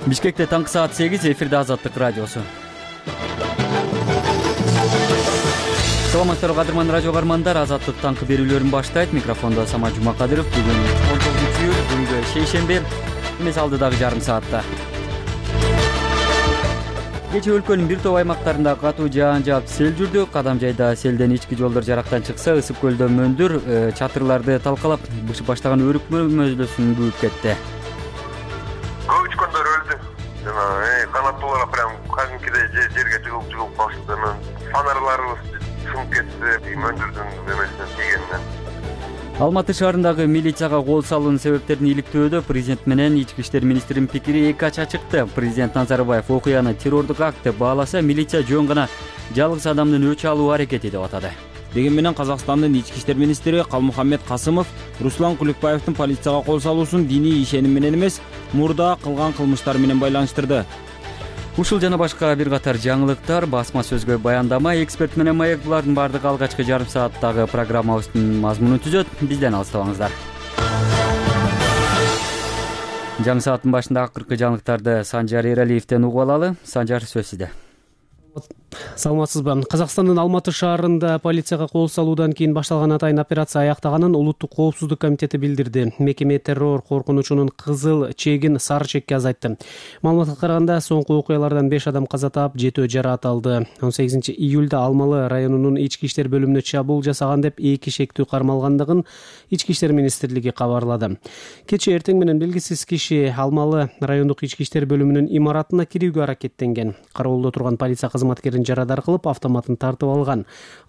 Бишкекте таңкы саат 8, эфирде Азаттык радиосу. Саламатсыздарбы кадырман радио каармандар, Азаттык таңкы берүүлөрүн баштайт. Микрофондо Самат Жумакадыров. Бүгүн 19-июль, бүгүнкү шейшемби. Эмес алдыдагы жарым саатта. Кечээ өлкөнүн бир топ аймактарында катуу жаан жаап сел жүрдү. Кадам жайда селден ички жолдор жарактан чыкса, ысык көлдө мөндүр чатырларды талкалап, бышып баштаган өрүк мөзөлөсүн бүгүп кетти. Көп учкандар өлдү. Канаттуулар прям кадимкидей жерге жыгылып калышты. Фонарларыбыз сынып кетти, мөндүрдүн немесинен тийгенинен. Алматы шаарындагы милицияга кол салуунун себептерин иликтөөдө президент менен ички иштер министринин пикири эки ача чыкты. Президент Назарбаев окуяны террордук акт деп бааласа, милиция жөн гана жалгыз адамдын өч алуу аракети деп атады. Деген менен Казакстандын ички иштер министри Калмухаммед Касымов Руслан Куликбаевдин полицияга кол салуусун диний ишеним менен эмес, мурда кылган кылмыштары менен байланыштырды. Ушул жана башка бир катар жаңылыктар, басма сөзгө баяндама, эксперт менен маек, булардын баардыгы алгачкы жарым сааттагы программабыздын мазмунун түзөт. Бизден алыстабаңыздар. Жаңы сааттын башында акыркы жаңылыктарды Санжар Эралиевден угуп алалы. Санжар, сөз сизде. Саламатсызбы? Казакстандын Алматы шаарында полицияга кол салуудан кийин башталган атайын операция аяктаганын Улуттук коопсуздук комитети билдирди. Мекеме террор коркунучунун кызыл чегин сары чекке азайтты. Маалыматка караганда, соңку окуялардан 5 адам каза таап, 7 жараат алды. 18-июлда Алмалы районунун ички иштер бөлүмүнө чабуул жасаган деп 2 шектүү кармалгандыгын ички иштер министрлиги кабарлады. Кечээ эртең менен белгисиз киши Алмалы райондук ички иштер бөлүмүнүн имаратына кирүүгө аракеттенген. Кароолдо турган полиция кызматкерин жарадар кылып, автоматын тартып алган.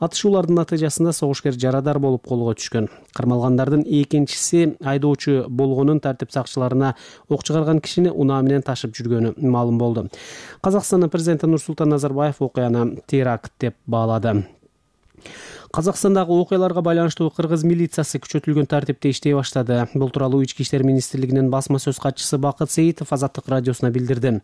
Атышуулардын натыйжасында согушкер жарадар болуп колго түшкөн. Кармалгандардын экинчиси айдоочу болгонун, тартип сакчыларына ок чыгарган кишини унаа менен ташып жүргөнү маалым болду. Казакстандын президенти Нурсултан Назарбаев окуяны теракт деп баалады. Казакстандагы окуяларга байланыштуу кыргыз милициясы күчөтүлгөн тартипте иштей баштады. Бул тууралуу ички иштер министрлигинин басма сөз катчысы Бакыт Сейитов Азаттык радиосуна билдирди.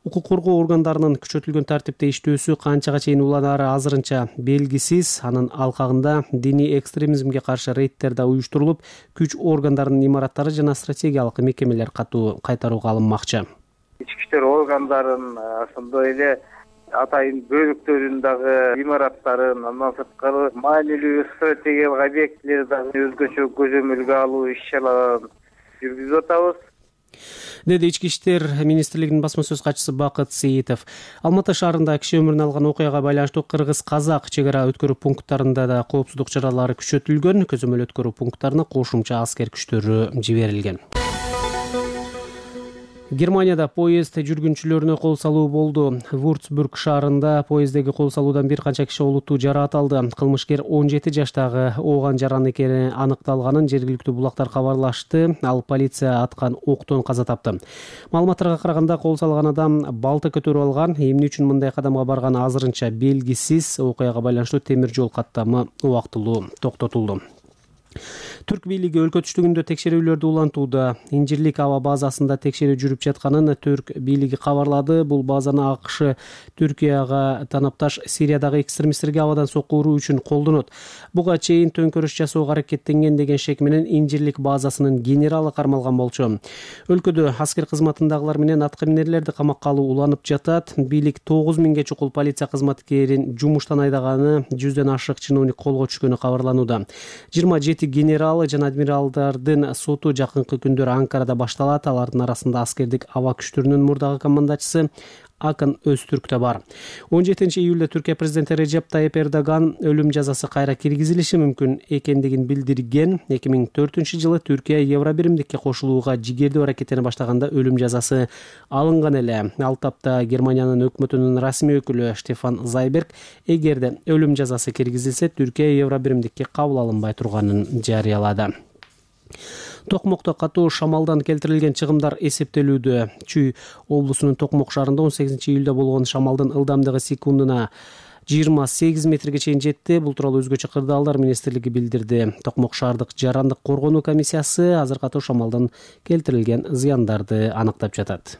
Укук коргоо органдарынын күчөтүлгөн тартипте иштөөсү канчага чейин уланары азырынча белгисиз. Анын алкагында диний экстремизмге каршы рейдтер да уюштурулуп, күч органдарынын имараттары жана стратегиялык мекемелер катуу кайтарууга алынмакчы. Ички иштер органдарын, ошондой эле атайын бөлүктөрүн дагы имараттарын, андан сырткары маанилүү стратегиялык объектилерди дагы өзгөчө көзөмөлгө алуу иш-чараларын жүргүзүп атабыз, деди ички иштер министрлигинин басма сөз катчысы Бакыт Сейитов. Алматы шаарында киши өмүрүн алган окуяга байланыштуу кыргыз-казак чек ара өткөрүү пункттарында да коопсуздук чаралары күчөтүлгөн. Көзөмөл өткөрүү пункттарына кошумча аскер күчтөрү жиберилген. Германияда поезд жүргүнчүлөрүнө кол салуу болду. Вурцбург шаарында поездеги кол салуудан бир канча киши олуттуу жараат алды. Кылмышкер 17 жаштагы ооган жаран экени аныкталганын жергиликтүү булактар кабарлашты. Ал полиция аткан октон каза тапты. Маалыматтарга караганда, кол салган адам балта көтөрүп алган. Эмне үчүн мындай кадамга барганы азырынча белгисиз. Окуяга байланыштуу темир жол каттамы убактылуу токтотулду. Түрк бийлиги өлкө түштүгүндө текшерүүлөрдү улантууда. Инжирлик аба базасында текшерүү жүрүп жатканын Түрк бийлиги кабарлады. Бул базаны АКШ Түркияга танапташ Сириядагы экстремисттерге абадан сокку уруу үчүн колдонот. Буга чейин төңкөрүш жасоого аракеттенген деген шек менен Инжирлик базасынын генералы кармалган болчу. Өлкөдө аскер кызматындагылар менен аткаминерлерди камакка алуу уланып жатат. Бийлик 9000ге чукул полиция кызматкерин жумуштан айдаганын, 100дөн ашык чиновник колго түшкөнү кабарланууда. 27 генералы жана адмиралдардын соту жакынкы күндөр Анкарада башталат. Алардын арасында аскердик аба күчтөрүнүн мурдагы командачысы Акын Өзтүрк да бар. 17-июлда Түркия президенти Режеп Тайип Эрдоган өлүм жазасы кайра киргизилиши мүмкүн экендигин билдирген. 2004-жылы Түркия Евробиримдикке кошулууга жигердүү аракеттене баштаганда өлүм жазасы алынган эле. Ал тапта Германиянын өкмөтүнүн расмий өкүлү Штефан Зайберг эгерде өлүм жазасы киргизилсе, Түркия Евробиримдикке кабыл алынбай турганын жарыялады. Токмокто катуу шамалдан келтирилген чыгымдар эсептелүүдө. Чүй облусунун Токмок шаарында 18-июлда болгон шамалдын ылдамдыгы секундуна 28 метрге чейин жетти. Бул тууралуу өзгөчө кырдаалдар министрлиги билдирди. Токмок шаардык жарандык коргонуу комиссиясы азыр катуу шамалдан келтирилген зыяндарды аныктап жатат.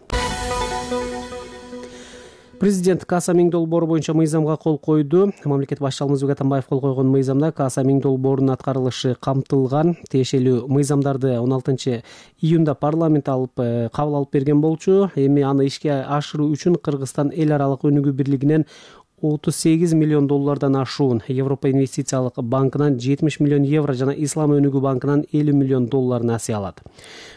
Президент Кааса Миң долбоору боюнча мыйзамга кол койду. Мамлекет башчысы Алмазбек Атамбаев кол койгон мыйзамда Кааса Миң долбоорунун аткарылышы камтылган. Тиешелүү мыйзамдарды 16 июнда парламент кабыл алып берген болчу. Эми аны ишке ашыруу үчүн Кыргызстан эл аралык өнүгүү бирлигинен 38 миллион доллардан ашуун, Европа инвестициялык банкынан 70 миллион евро жана Ислам өнүгүү банкынан 50 миллион доллар насыя алат.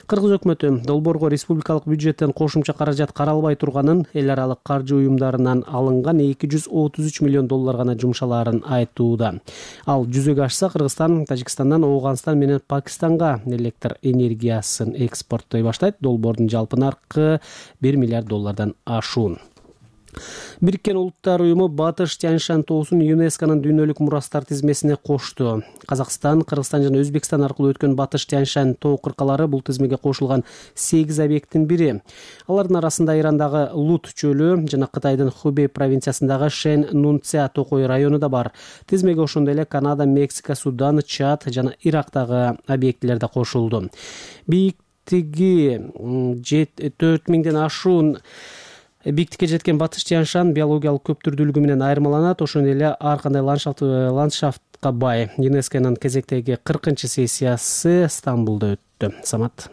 Кыргыз өкмөтү долбоорго республикалык бюджеттен кошумча каражат каралбай турганын, эл аралык каржы уюмдарынан алынган 233 миллион доллар гана жумшалаарын айтууда. Ал жүзөгө ашса, Кыргызстан Тажикстандан Ооганстан менен Пакистанга электр энергиясын экспорттой баштайт. Долбоордун жалпы наркы 1 миллиард доллардан ашуун. Бириккен Улуттар уюму Батыш Тянь-Шань тоосун ЮНЕСКОнун дүйнөлүк мурастар тизмесине кошту. Казакстан, Кыргызстан жана Өзбекстан аркылуу өткөн Батыш Тянь-Шань тоо кыркалары бул тизмеге кошулган 8 объекттин бири. Алардын арасында Ирандагы Лут чөлү жана Кытайдын Хубей провинциясындагы Шэн Нунця токой району да бар. Тизмеге ошондой эле Канада, Мексика, Судан, Чад жана Ирактагы объектилер да кошулду. Бийиктиги 4000ден ашуун биктикке жеткен Батыш Тянь-Шань биологиялык көптүрдүүлүгү менен айырмаланат. Ошондой эле ар кандай ландшафтка бай. ЮНЕСКонун кезектеги 40-сессиясы Стамбулда өттү. Самат.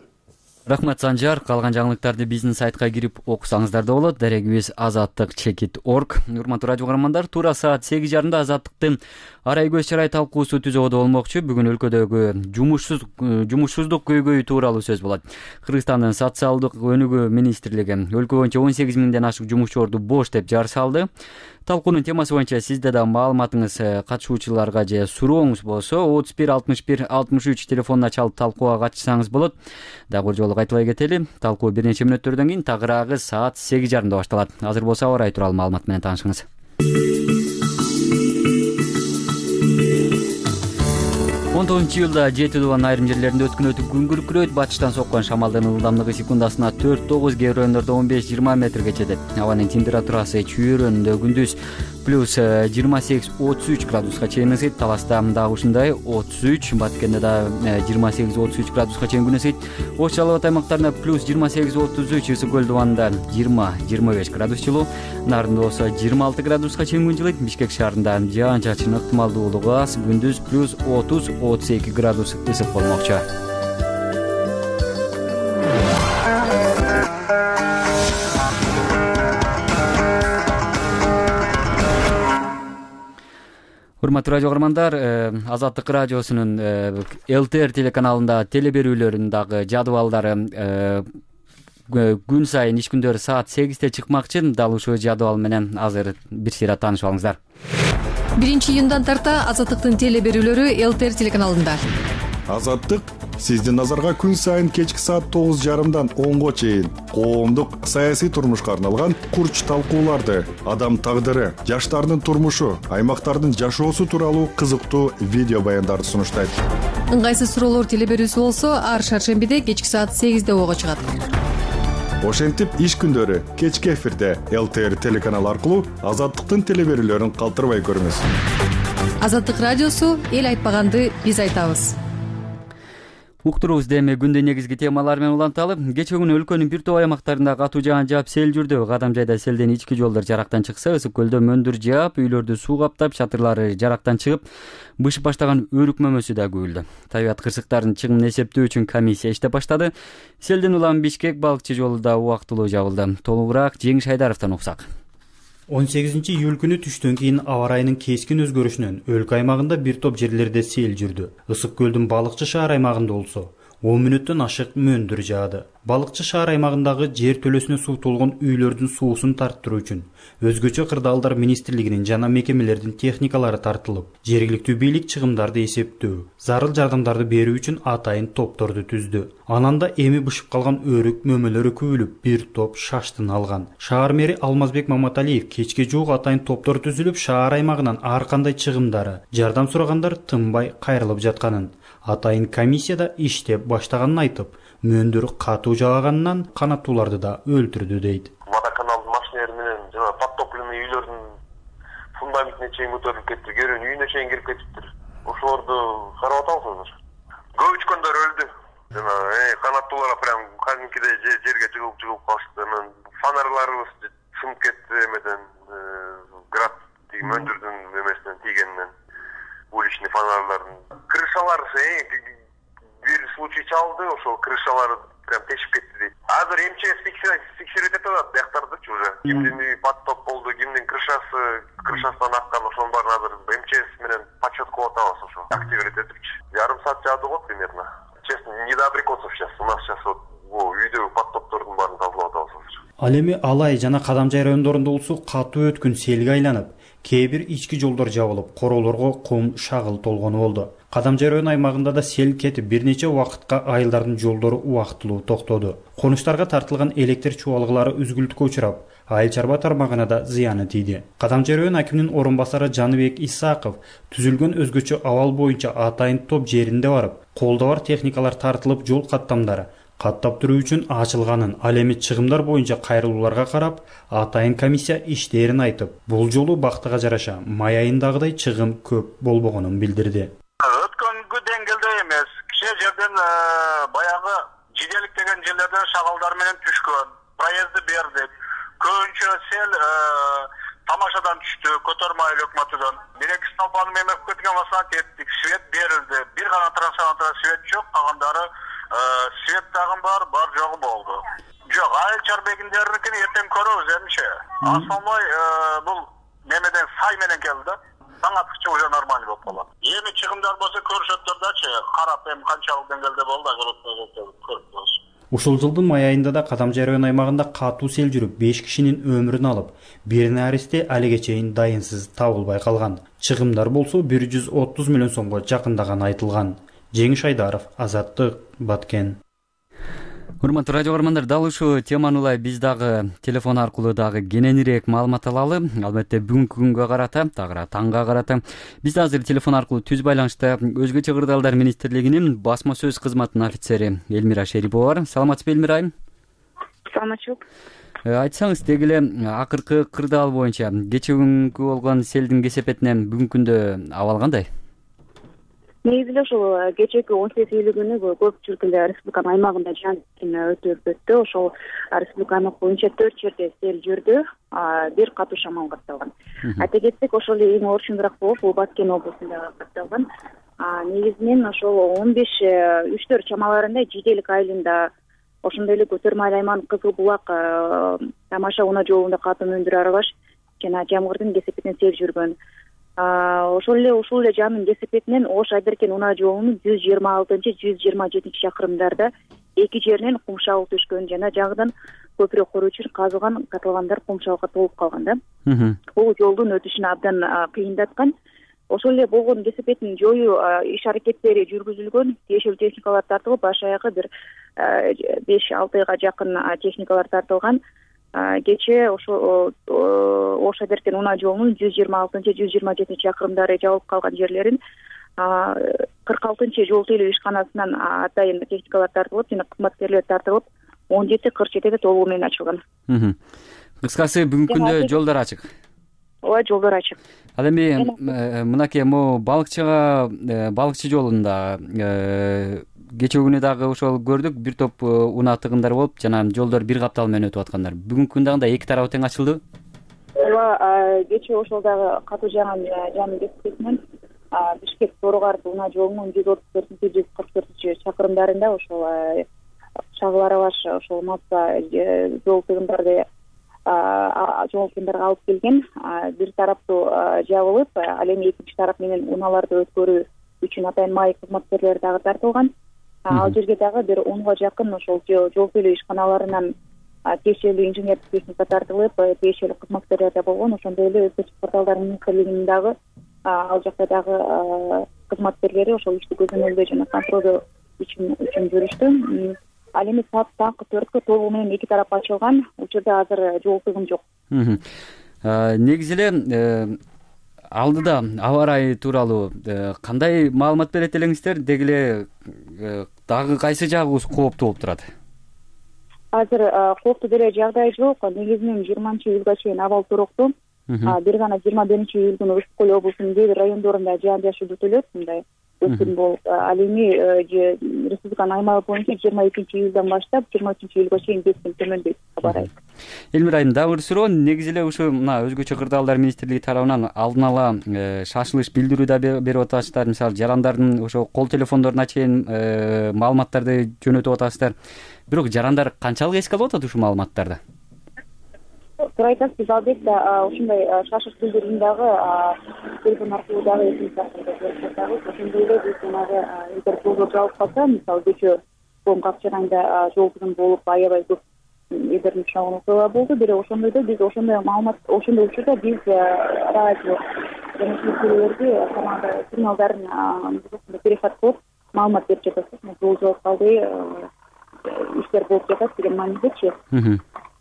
Рахмат Санжар. Калган жаңылыктарды биздин сайтка кирип окусаңыздар да болот. Дарегибиз azattik.org. Урматтуу радио каармандар, туура саат 8:30 Азаттыктын арай көз чарай талкуусу түзөгөдө болмокчу. Бүгүн өлкөдөгү жумушсуздук көйгөйү тууралуу сөз болот. Кыргызстандын социалдык өнүгүү министрлиги өлкө боюнча 18 миңден ашык жумушчуларды бош деп жар салды. Талкуунун темасы боюнча сизде да маалыматыңыз, катышуучуларга же сурооңуз болсо 31 61 63 телефонуна чалып талкууга катышсаңыз болот. Дагы бир жолу кайтыбай кетели. Талкуу бир нече мүнөттөрдөн кийин тагыраагы саат 8:30 башталат. Азыр болсо аба ырайы тууралуу маалымат менен таанышыңыз. 19-июлда Жети Дубан айрым жерлеринде өткүнөтүп күн күркүрөйт. Батыштан соккон шамалдын ылдамдыгы секундасына 4-9, кээ бир райондордо 15-20 метрге жетет. Абанын температурасы чүйөрөндө күндүз плюс 28-33 градуска чейин ысыйт. Таласта дагы ушундай 33, Баткенде да 28-33 градуска чейин күн ысыйт. Ош Жалал Абад аймактарында плюс 28-33, Ысык көл дубанында 20-25 градус жылуу, Нарында болсо 26 градуска чейин күн жылыйт. Бишкек шаарында жаан-чачын ыктымалдуулугу аз, күндүз плюс 30-32 градус ысык болмокчу. Урматтуу радио каармандар, Азаттык радиосунун ЛТР телеканалында теле берүүлөрүнүн дагы жадыбалдары күн сайын иш күндөрү саат 8-те чыкмакчы. Дал ушул жадыбал менен азыр бир сыйра таанышып алыңыздар. 1-июндан тарта Азаттыктын теле берүүлөрү ЛТР телеканалында. Азаттык сиздин назарга күн сайын кечки саат 9:30дан 10го чейин коомдук саясий турмушка арналган курч талкууларды, адам тагдыры, жаштардын турмушу, аймактардын жашоосу тууралуу кызыктуу видео баяндарды сунуштайт. Ыңгайсыз суроолор теле берүүсү болсо, ар шаршембиде кечки саат 8-де ого чыгат. Ошентип иш күндөрү кечки эфирде ЛТР телеканалы аркылуу Азаттыктын теле берүүлөрүн калтырбай көрүңүз. Азаттык радиосу эл айтпаганды биз айтабыз. Уктуруубузда эми күндүн негизги темалары менен уланталы. Кечээ күнү өлкөнүн бир топ аймактарында катуу жаан жаап сел жүрдү. Кадам жайда селден ички жолдор жарактан чыкса, Ысык көлдө мөндүр жаап, үйлөрдү суу каптап, чатырлары жарактан чыгып, бышып баштаган өрүк мөмөсү да күбүлдү. Табиат кырсыктарын чыгымын эсептөө үчүн комиссия иштеп баштады. Селден улам Бишкек балыкчы жолу да убактылуу жабылды. Толугураак Жеңиш Айдаровдон уксак. 18-июль күнү түштөн кийин аба ырайынын кескин өзгөрүшүнөн өлкө аймагында бир топ жерлерде сел жүрдү. Ысык көлдүн балыкчы шаар аймагында болсо 10 мүнөттөн ашык мөндүр жаады. Балыкчы шаар аймагындагы жер төлөсүнө суу толгон үйлөрдүн суусун тарттыруу үчүн өзгөчө кырдаалдар министрлигинин жана мекемелердин техникалары тартылып, жергиликтүү бийлик чыгымдарды эсептөө, зарыл жардамдарды берүү үчүн атайын топторду түздү. Анан да эми бышып калган өрүк мөмөлөрү күбүлүп, бир топ шаштын алган. Шаар мэри Алмазбек Маматалиев кечке жуук атайын топтор түзүлүп, шаар аймагынан ар кандай чыгымдары, жардам сурагандар тынбай кайрылып жатканын, атайын комиссияда иштеп баштаганын айтып, мөндүр катуу жааганынан канаттууларды да өлтүрдү дейт. Водоканалдын машинелери менен жана подтопленный үйлөрдүн фундаментине чейин көтөрүлүп кетти, керөөнүн үйүнө чейин кирип кетиптир. Ошолорду карап атабыз азыр. Көп учкөндөр өлдү. Жана канаттуулар прям кадимкидей жерге жыгылып калышты. Фонарларыбыз сынып кетти эмеден, град мөндүрдүн эмесинен тийгенинен, уличный фонарлардын. Крышалар бир случай чалды, ошол крышалар прям тешип кетти дейт. Азыр МЧС текшерип атат бияктардычы уже. Кимдин үйү подтоп болду, кимдин крышасынан аккан, ошонун баарын азыр МЧС менен подсчет кылып атабыз ошо. Активировать этипчи. Жарым саат жаады го примерно. Честно, не до абрикосов сейчас. У нас сейчас вот үйдөгү подтоптордун баарын тазалап атабыз азыр. Ал эми Алай жана Кадамжай райондорунда болсо катуу өткүн селге айланып, кээ бир ички жолдор жабылып, короолорго кум, шагыл толгону болду. Кадамжай район аймагында да сел кетип, бир нече убакытка айылдардын жолдору убактылуу токтоду. Конуштарга тартылган электр чубалгылары үзгүлтүккө учурап, айыл чарба тармагына да зыяны тийди. Кадамжай район акиминин орун басары Жаныбек Исаков түзүлгөн өзгөчө абал боюнча атайын топ жеринде барып, колдо бар техникалар тартылып, жол каттамдары каттап туруу үчүн ачылганын, ал эми чыгымдар боюнча кайрылууларга карап, атайын комиссия иштерин айтып, бул жолу бактыга жараша май айындагыдай чыгым көп болбогонун билдирди. Өткөнгү деңгээлде эмес, кичине жерден баягы жиделик деген жерлерден шагалдар менен түшкөн, проезды бердик. Көбүнчө сел тамашадан түштү, көтөрмө айыл өкмөтүнөн. Бир-эки столбаны мемеп кеткен басана кеттик, свет берилди. Бир гана трансформатор свет жок, калгандары свет дагы бар жогу болду. Жок, айыл чарбегиндерникин эртең көрөбүз эмче. Основной бул немеден сай менен келди да. Таң аткыча уже нормально болуп калат. Эми чыгымдар болсо көрүшөттөрдачы, карап эми канчалык деңгээлде болду да көрүп болсо. Ушул жылдын май айында да Кадамжай район аймагында катуу сел жүрүп, 5 кишинин өмүрүн алып, бир наристе алиге чейин дайынсыз табылбай калган. Чыгымдар болсо 130 миллион сомго жакындаганы айтылган. Жеңиш Айдаров, Азаттык, Баткен. Урматтуу радио көрөрмандар, дал ушул теманы улай биз дагы телефон аркылуу дагы кененирээк маалымат алалы. Албетте бүгүнкү күнгө карата, тагыра таңга карата биз азыр телефон аркылуу түз байланышта Өзгөчө кырдаалдар министрлигинин басма сөз кызматынын офицери Элмира Шерипова бар. Саламатсызбы, Элмира айым? Саламатчылык. Айтсаңыз, деги эле акыркы кырдаал боюнча кечээ күнгү болгон селдин кесепетинен бүгүнкү күндө абал кандай? Негизи эле ушул кечээки 18 июль күнү көпчүлүк эле республиканын аймагында жан өтүп өттү. Ошол республика аймак боюнча 4 жерде сел жүрдү, бир катуу шамал катталган. Айта кетсек, ошол эң орчундураак болуп, бул Баткен облусунда катталган. Негизинен ошол 15-3 чамаларында Жиделик айылында, ошондой эле Көтөрмө айыл аймагынын Кызыл Булак Тамаша унаа жолунда катуу мөндүр аралаш жана жамгырдын кесепетинен сел жүргөн. Ушул эле жанын кесепетинен Ош Айдеркен унаа жолунун 126-127 чакырымдарда эки жеринен кум шабыл түшкөн жана жаңыдан көпүрө куруу үчүн казылган катылгандар кум шабылга толуп калган да. Бул жолдун өтүшүн абдан кыйындаткан. Ошол эле болгон кесепетин жоюу иш аракеттери жүргүзүлгөн, тиешелүү техникалар тартылып, баш аягы бир 5-6 жакын техникалар тартылган. Кечээ ошо Ош Айдеркен унаа жолунун 126-127 чакырымдары жабылып калган жерлерин 46 жол тейлөө ишканасынан атайын техникалар тартылып жана кызматкерлер тартылып 17:47 толугу менен ачылган. Кыскасы бүгүнкү күндө жолдор ачык. Ооба, жолдор ачык. Ал эми мынакей балыкчы жолунда кечээ күнү дагы ошол көрдүк, бир топ унаа тыгындар болуп, жана жолдор бир каптал менен өтүп аткандар. Бүгүнкү күндө андай эки тарабы тең ачылды. Ооба, кечээ ошол дагы катуу жанын кесепетинен Бишкек Торогар унаа жолунун 134-144 чакырымдарында ошол шагыл аралаш ошол масса жол тыгындарды алып келген. Бир тараптуу жабылып, ал эми экинчи тарап менен унааларды өткөрүү үчүн атайын май кызматкерлери дагы тартылган. Ал жерге дагы бир 10га жакын ошол жол тейлөө ишканаларынан тиешелүү инженердик техника тартылып, тиешелүү кызматкерлер да болгон. Ошондой эле Өзгөчө кырдаалдар министрлигинин дагы ал жакта дагы кызматкерлери ошол ишти көзөмөлдөө жана контролдоо үчүн жүрүштү. Ал эми таңкы 4-кө толугу менен эки тарап ачылган. Учурда азыр жол тыгын жок. Негизи эле алдыда аба ырайы тууралуу кандай маалымат берет элеңиздер? Деги эле дагы кайсы жагы кооптуу болуп турат? Азыр кооптуу деле жагдай жок. Негизинен 20-июлга чейин абал туруктуу. Бир гана 21-июль күнү Ысык Көл облусунун кээ бир райондорунда жаан-жашыл күтүлөт. Мындай өскөн болуп, ал эми республиканын аймагы боюнча 22-июлдан баштап 23-июлга чейин кесим төмөндөйт деп кабар айтты. Элмира айым, дагы бир суроо. Негизи эле ушу мына өзгөчө кырдаалдар министрлиги тарабынан алдын ала шашылыш билдирүү да берип атасыздар. Мисалы жарандардын ошо кол телефондоруна чейин маалыматтарды жөнөтүп атасыздар. Бирок жарандар канчалык эске алып атат ушул маалыматтарды? Туура айтасыз, албетте ушундай шашыш билдирүүнү дагы телефон аркылуу дагы ошондой эле биз жанагы эгер жолдор жабылып калса, мисалы кечээ Ком Капчараңда жол тыгын болуп аябай көп эдерин чагын окуялар болду. Бирок ошондойдо биз ошондой маалымат, ошондой учурда биз радио жана телевизиялерге команда сигналдарын перехват кылып маалымат берип жатабыз. Жол жабылып калды, иштер болуп жатат деген маанидечи.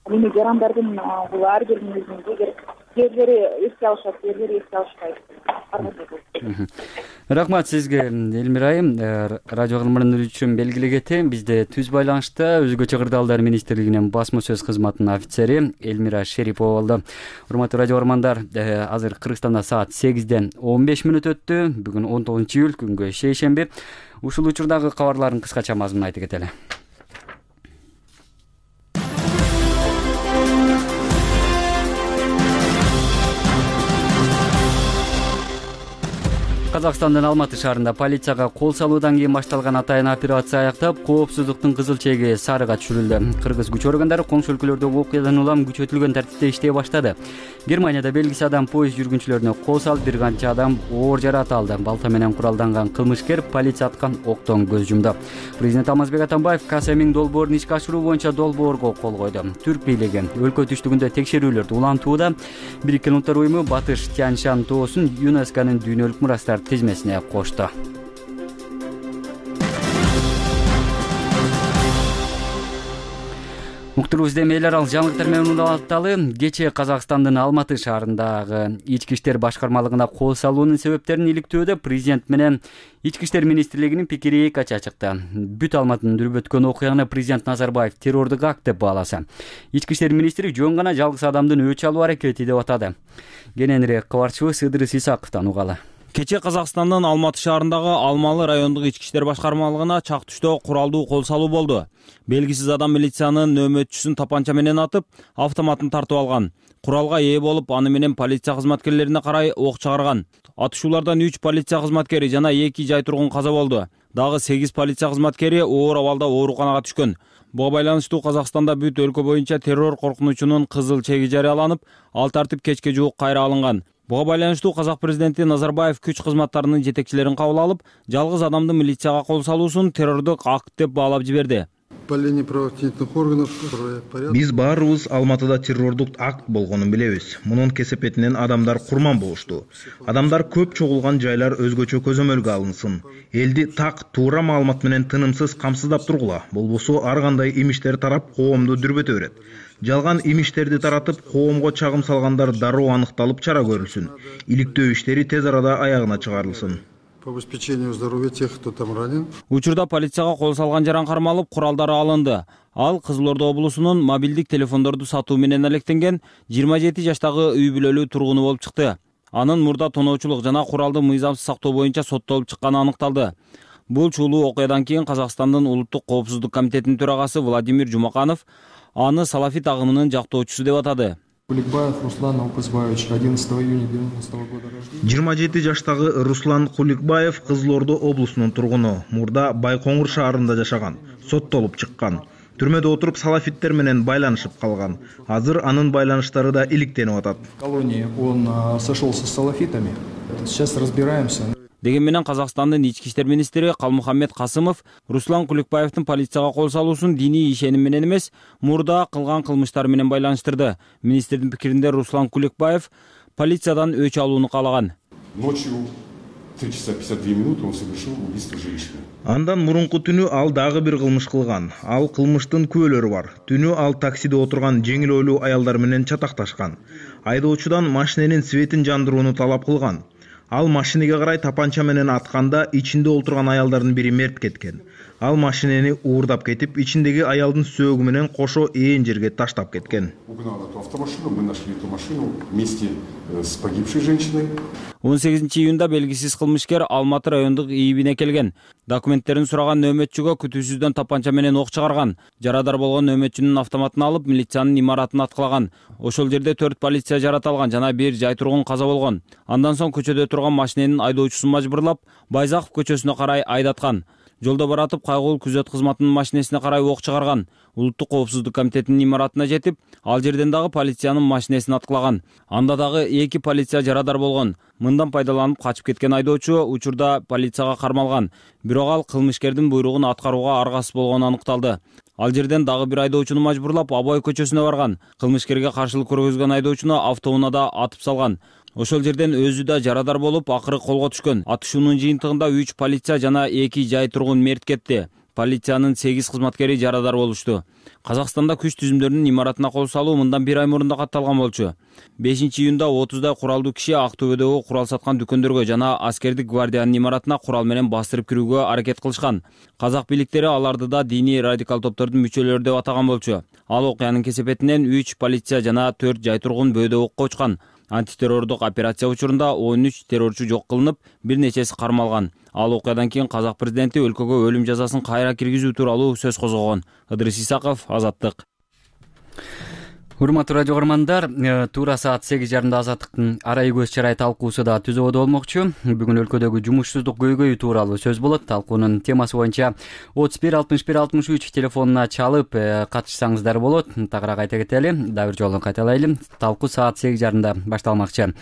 Эми жарандардын бул ар биринин өзүнүн жерлери эске алышат, жерлери эске алышпайт. Рахмат сизге, Элмира айым. Радио кызматынан үчүн белгилегенде бизде түз байланышта өзгөчө кырдаалдар министрлигинин басма сөз кызматынын офицери Элмира Шерипова болду. Урматтуу радио көрөрмандар, азыр Кыргызстанда саат 8-ден 15 мүнөт өттү. Бүгүн 19-июль, күнгө шейшемби. Ушул учурдагы кабарлардын кыскача мазмунун айтып кетели. Казакстандын Алматы шаарында полицияга кол салуудан кийин башталган атайын операция аяктап, коопсуздуктун кызыл чеги сарыга түшүрүлдү. Кыргыз күч органдары коңшу өлкөлөрдөгү окуядан улам күчөтүлгөн тартипте иштей баштады. Германияда белгисиз адам поезд жүргүнчүлөрүнө кол салып, бир канча адам оор жаракат алды. Балта менен куралданган кылмышкер полиция аткан октон көз жумду. Президент Алмазбек Атамбаев КСМ долбоорун ишке ашыруу боюнча долбоорго кол койду. Түрк бийлиги өлкө түштүгүндө текшерүүлөрдү улантууда. Бириккен Улуттар уюму Батыш Тянь-Шань тоосун ЮНЕСКОнун дүйнөлүк мурастар тизмесине кошту. Уктурубуз эми эл аралык жаңылыктар менен уланталы. Кечээ Казакстандын Алматы шаарындагы ички иштер башкармалыгына кол салуунун себептерин иликтөөдө президент менен ички иштер министрлигинин пикири эки ача чыкты. Бүт Алматынын дүрбөткөн окуяны президент Назарбаев террордук акт деп бааласа, ички иштер министри жөн гана жалгыз адамдын өч алуу аракети деп атады. Кененирээк кабарчыбыз Ыдырыс Исаковдон угалы. Кечээ Казакстандын Алматы шаарындагы Алмалы райондук ички иштер башкармалыгына чак түштө куралдуу кол салуу болду. Белгисиз адам милициянын нөөмөтчүсүн тапанча менен атып, автоматын тартып алган. Куралга ээ болуп, аны менен полиция кызматкерлерине карай ок чыгарган. Атышуулардан 3 полиция кызматкери жана 2 жай тургун каза болду. Дагы 8 полиция кызматкери оор абалда ооруканага түшкөн. Буга байланыштуу Казакстанда бүт өлкө боюнча террор коркунучунун кызыл чеги жарыяланып, ал тартип кечке жуук кайра алынган. Буга байланыштуу казак президенти Назарбаев күч кызматтарынын жетекчилерин кабыл алып, жалгыз адамдын милицияга кол салуусун террордук акт деп баалап жиберди. Биз баарыбыз Алматыда террордук акт болгонун билебиз. Мунун кесепетинен адамдар курман болушту. Адамдар көп чогулган жайлар өзгөчө көзөмөлгө алынсын. Элди так, туура маалымат менен тынымсыз камсыздап тургула. Болбосо ар кандай имиштер тарап коомду дүрбөтө берет. Жалган имиштерди таратып, коомго чагым салгандар дароо аныкталып чара көрүлсүн. Иликтөө иштери тез арада аягына чыгарылсын. По обеспечению здоровья тех, кто там ранен. Учурда полицияга кол салган жаран кармалып, куралдары алынды. Ал Кызыл Ордо облусунун мобилдик телефондорду сатуу менен алектенген 27 жаштагы үй бүлөлүү тургуну болуп чыкты. Анын мурда тоноочулук жана куралды мыйзамсыз сактоо боюнча соттолуп чыкканы аныкталды. Бул чуулуу окуядан кийин Казакстандын Улуттук коопсуздук комитетинин төрагасы Владимир Жумаканов аны салафит агымынын жактоочусу деп атады. Куликбаев Руслан Алпызбаевич, 11 июня 90 года рождения. 27 жаштагы Руслан Куликбаев Кызыл Ордо облусунун тургуну. Мурда Байкоңур шаарында жашаган, соттолуп чыккан. Түрмөдө отуруп салафиттер менен байланышып калган. Азыр анын байланыштары да иликтенип атат. В колонии он сошелся с салафитами. Сейчас разбираемся. Деген менен Казакстандын ички иштер министри Калмухаммед Касымов Руслан Куликбаевдин полицияга кол салуусун диний ишеним менен эмес, мурда кылган кылмыштары менен байланыштырды. Министрдин пикиринде Руслан Куликбаев полициядан өч алууну каалаган. Ночью 3 часа 52 минуты он совершил убийство женщины. Андан мурунку түнү ал дагы бир кылмыш кылган. Ал кылмыштын күбөлөрү бар. Түнү ал таксиде отурган жеңил ойлуу аялдар менен чатакташкан. Айдоочудан машиненин светин жандырууну талап кылган. Ал машинеге карай тапанча менен атканда ичинде отурган аялдардын бири мерт кеткен. Ал машинени уурдап кетип, ичиндеги аялдын сөөгү менен кошо ээн жерге таштап кеткен. Угнал эту автомашину, мы нашли эту машину вместе с погибшей женщиной. 18 июнда белгисиз кылмышкер Алматы райондук ИИБине келген. Документтерин сураган нөөмөтчүгө күтүүсүздөн тапанча менен ок чыгарган. Жарадар болгон нөөмөтчүнүн автоматын алып, милициянын имаратын аткылаган. Ошол жерде 4 полиция жараталган жана 1 жай тургун каза болгон. Андан соң көчөдө турган машиненин айдоочусун мажбурлап, Байзаков көчөсүнө карай айдаткан. Жолдо баратып кайгылуу күзөт кызматынын машинесине карай ок чыгарган. Улуттук коопсуздук комитетинин имаратына жетип, ал жерден дагы полициянын машинесин аткылаган. Анда дагы 2 полиция жарадар болгон. Мындан пайдаланып качып кеткен айдоочу учурда полицияга кармалган. Бирок ал кылмышкердин буйругун аткарууга аргасыз болгону аныкталды. Ал жерден дагы бир айдоочуну мажбурлап Абай көчөсүнө барган. Кылмышкерге каршылык көргөзгөн айдоочуну автоунаада атып салган. Ошол жерден өзү да жарадар болуп, акыры колго түшкөн. Атышуунун жыйынтыгында 3 полиция жана 2 жай тургун мерт кетти. Полициянын 8 кызматкери жарадар болушту. Казакстанда күч түзүмдөрүнүн имаратына кол салуу мындан 1 ай мурун да катталган болчу. 5 июнда 30дай куралдуу киши Актөбөдөгү курал саткан дүкөндөргө жана аскердик гвардиянын имаратына курал менен бастырып кирүүгө аракет кылышкан. Казак бийликтери аларды да диний радикал топтордун мүчөлөрү деп атаган болчу. Ал окуянын кесепетинен 3 полиция жана 4 жай тургун бөөдө окко учкан. Антитеррордук операция учурунда 13 террорчу жок кылынып, бир нечеси кармалган. Ал окуядан кийин казак президенти өлкөгө өлүм жазасын кайра киргизүү тууралуу сөз козгогон. Ыдырыс Исаков, Азаттык. Урматтуу радио көрөрмандар, туура саат 8:30 Азаттыктын арай көз чарай талкуусу да түзөбөдө болмокчу. Бүгүн өлкөдөгү жумушсуздук көйгөйү тууралуу сөз болот. Талкуунун темасы боюнча 31 61 63 телефонуна чалып катышсаңыздар болот. Тагыраак айта кетели, дагы бир жолу кайталайлы. Талкуу саат 8:30 башталмакчы.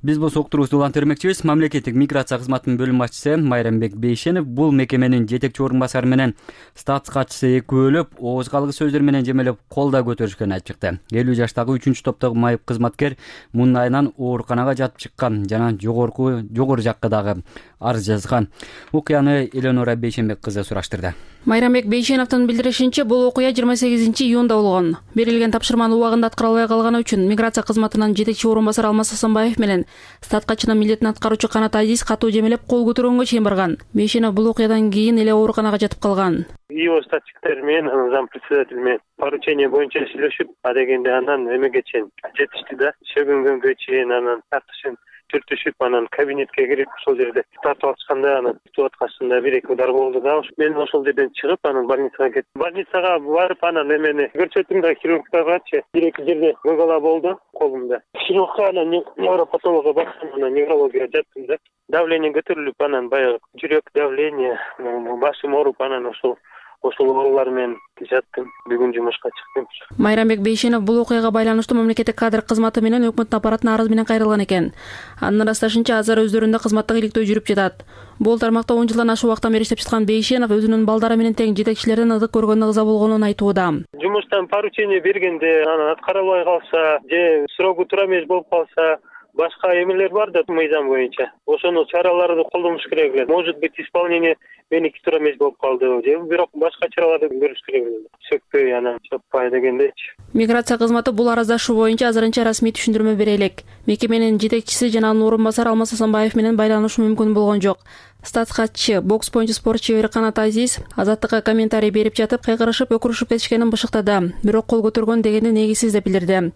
Биз бул уктуруубузду улантырмакчыбыз. Мамлекеттик миграция кызматынын бөлүм башчысы Майрамбек Бейшенов бул мекеменин жетекчи орун басары менен статс катчысы экөөлөп, ооз калгыс сөздөр менен жемелеп кол да көтөрүшкөнү айтып чыкты. 50 жаштагы 3-чү топтогу майып кызматкер мунун айынан ооруканага жатып чыккан жана жогору жакка дагы арыз жазган. Окуяны Эленора Бейшенбек кызы сураштырды. Майрамбек Бейшеновдун билдиришинче, бул окуя 28 июнда болгон. Берилген тапшырманы убагында аткара албай калганы үчүн миграция кызматынын жетекчи орун басары Алмаз Асанбаев менен статкачынын милдетин аткаруучу Канат Азиз катуу жемелеп кол көтөргөнгө чейин барган. Бейшенов бул окуядан кийин эле ооруканага жатып калган. ИО статчиктер менен зам председатель менен поручение боюнча сүйлөшүп, адегенде анан эмеге чейин жетишти да, шөгүнгөнгө чейин анан тартышын түртүшүп, анан кабинетке кирип, ошол жерде тартып атышканда, анан күтүп аткачында 1-2 удар болду да. Мен ошол жерден чыгып, анан больницага кеттим. Больницага барып, анан эмени көрсөттүм да, хирургтаргачы 1-2 жерде мыгала болду колумда. Хирургка анан невропатологко бардым, анан неврологияга жаттым да. Давление көтөрүлүп, анан баягы жүрөк давление, башым ооруп, анан ошол оорулар менен жаттым. Бүгүн жумушка чыктым. Майрамбек Бейшенов бул окуяга байланыштуу мамлекеттик кадр кызматы менен өкмөттүн аппаратына арыз менен кайрылган экен. Анын ырасташынча, азыр өздөрүндө кызматтык иликтөө жүрүп жатат. Бул тармакта 10 жылдан ашык убакыттан бери иштеп жаткан Бейшенов өзүнүн балдары менен тең жетекчилерден ызык көргөнү ыза болгонун айтууда. Жумуштан поручение бергенде анан аткара албай калса, же срогу туура эмес болуп калса, башка эмелер бар да мыйзам боюнча. Ошону чараларды колдонуш керек эле. Может быть, исполнение меники туура эмес болуп калды, же бирок башка чараларды көрүш керек эле. Сөкпөй анан чаппай дегендечи. Миграция кызматы бул араздашуу боюнча азырынча расмий түшүндүрмө бере элек. Мекеменин жетекчиси жана анын орун басары Алмаз Асанбаев менен байланышуу мүмкүн болгон жок. Статс катчы, бокс боюнча спорт чебери Канат Азиз Азаттыкка комментарий берип жатып, кайгырышып, өкүрүшүп кетишкенин бышыктады. Бирок кол көтөргөн дегенди негизсиз деп билдирди.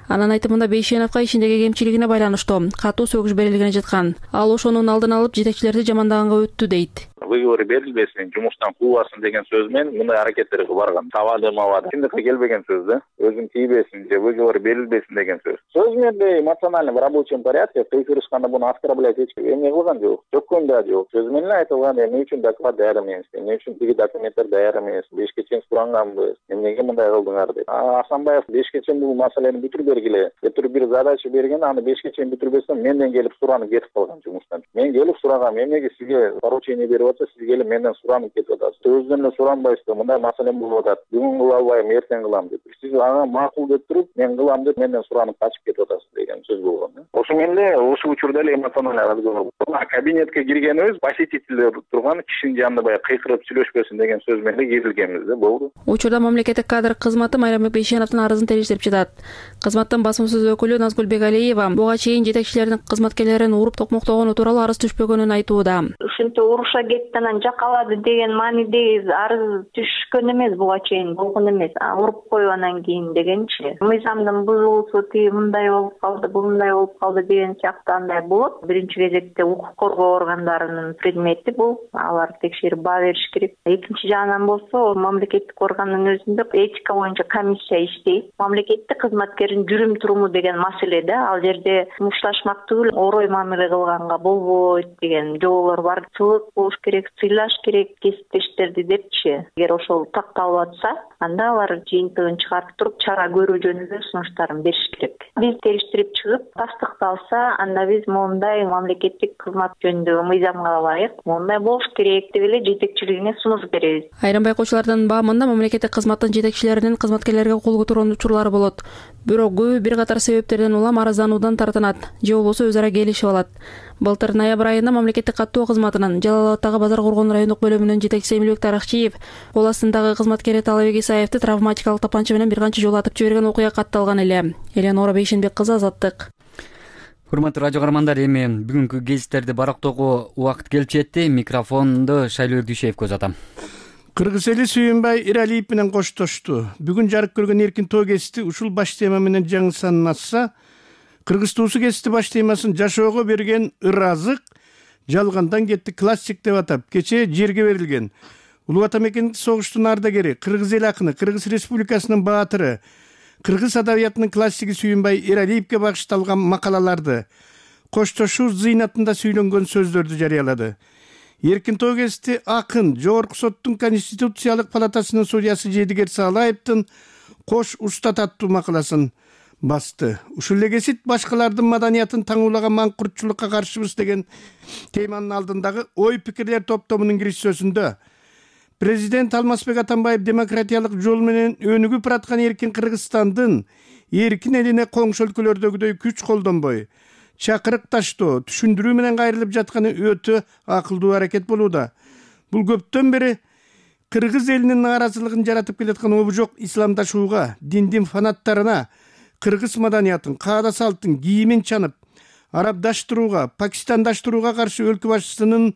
Анын айтымында Бейшеновго ишиндеги кемчилигине байланыштуу катуу сөгүш берилгени жаткан. Ал ошонун алдын алып, жетекчилерди жамандаганга өттү дейт. Выговор берилбесин, жумуштан куубасын деген сөз менен мындай аракеттерге барган. Табады. Чындыкка келбеген сөз да. Өзүн тийбесин же выговор берилбесин деген сөз. Сөз менен эмоционально в рабочем порядке кыйкырышканда буну оскорблять эч эме кылган жок. Жоккон да жок. Сөз менен айтылган, эмне үчүн доклад даяр эмес, эмне үчүн тиги документтер даяр эмес, 5 чейин суранганбыз, эмнеге мындай кылдыңар деп. Асанбаев 5 чейин бул маселени бүтүрүп бергиле. Өтүр бир задача берген, аны 5 чейин бүтүрбөсөм, менден келип суранып кетип калган жумуштан. Мен келип сурагам, эмнеге сизге поручение берип атса, сиз келип менден суранып кетип атасыз. Өзүнөн эле суранбайсыздар, мындай маселем болуп атат. Бүгүн кыла албайм, эртең кылам деп. Сиз ага макул деп туруп, мен кылам деп менден суранып качып кетип атасыз деген сөз болгон. Ошо менен эле ушул учурда эле эмоционально разговор. Кабинетке киргенибиз посетителдер турган кишинин жанында баягы кыйкырып сүйлөшпөсүн деген сөз менен кирилгенбиз да, болду. Учурда мамлекеттик кадр кызматы Майрамбек Бейшеновдун арызын териштирип жатат. Кызматтын басма сөз өкүлү Назгүл Бегалиева буга чейин жетекчилердин кызматкерлерин уруп токмоктогону тууралуу арыз түшпөгөнүн айтууда. Ушинтип уруша кетти анан жакалады деген маанидеги арыз түшкөн эмес, буга чейин болгон эмес. Уруп коюп анан кийин дегенчи. Мыйзамдын бузулуусу тиги мындай болуп калды, бул мындай болуп калды деген сыяктуу андай болот. Биринчи кезекте укук коргоо органдарынын предмети бул. Алар текшерип баа бериш керек. Экинчи жагынан болсо, мамлекеттик органдын өзүндө этика боюнча комиссия иштейт. Мамлекеттик кызматкердин жүрүм туруму деген маселе да. Ал жерде мушташмак түгүл, орой мамиле кылганга болбойт деген жоболор бар. Сыйлык болуш керек, сыйлаш керек кесиптештерди депчи. Эгер ошол такталып атса, анда алар жыйынтыгын чыгарып туруп чара көрүү жөнүндө сунуштарын бериш керек. Биз териштирип чыгып, тастыкталса, анда биз мондай мамлекеттик кызмат жөнүндөгү мыйзамга ылайык мондай болуш керек деп эле жетекчилигине сунуш беребиз. Айрым байкоочулардын баамында мамлекеттик кызматтын жетекчилеринин кызматкерлерге кол көтөргөн учурлары болот. Бирок көбү бир катар себептерден улам арыздануудан тартынат же болбосо өз ара келишип алат. Былтыр ноябрь айында мамлекеттик каттоо кызматынын Жалал Абадтагы базар коргон райондук бөлүмүнүн жетекчиси Эмилбек Таракчиев кол астындагы кызматкери Талабек Исаевди травматикалык тапанча менен бир канча жолу атып жиберген окуя катталган эле. Элеонора Бейшенбек кызы, Азаттык. Урматтуу радио каармандар, эми бүгүнкү гезиттерди барактоого убакыт келип жетти. Микрофонду Шайлуу Дүйшеевге узатам. Кыргыз эли Сүйүнбай Иралиев менен коштошту. Бүгүн жарык көргөн эркин тоо гезити ушул баш тема менен жаңы санын ачса, Кыргыз туусу гезити баш темасын жашоого берген ыраазык жалгандан кетти классик деп атап, кечээ жерге берилген. Улуу Ата мекендик согуштун ардагери, Кыргыз эл акыны, Кыргыз Республикасынын баатыры, Кыргыз адабиятынын классиги Сүйүнбай Иралиевге багышталган макалаларды, коштошуу зыйнатында сүйлөнгөн сөздөрдү жарыялады. Эркин тоо гезити акын Жогорку соттун Конституциялык палатасынын судьясы Жедигер Саалаевдин Кош устат аттуу макаласын басты. Ушул эле гезит башкалардын маданиятын таңуулаган маңкуртчулукка каршыбыз деген теманын алдындагы ой пикирлер топтомунун кириш сөзүндө президент Алмазбек Атамбаев демократиялык жол менен өнүгүп бараткан эркин Кыргызстандын эркин элине коңшу өлкөлөрдөгүдөй күч колдонбой, чакырык таштоо, түшүндүрүү менен кайрылып жатканы өтө акылдуу аракет болууда. Бул көптөн бери Кыргыз элинин нааразылыгын жаратып келаткан обжок исламдашууга, диндин фанаттарына, кыргыз маданиятын, каада салттын, кийимин чанып, арабдаштырууга, пакистандаштырууга каршы өлкө башчысынын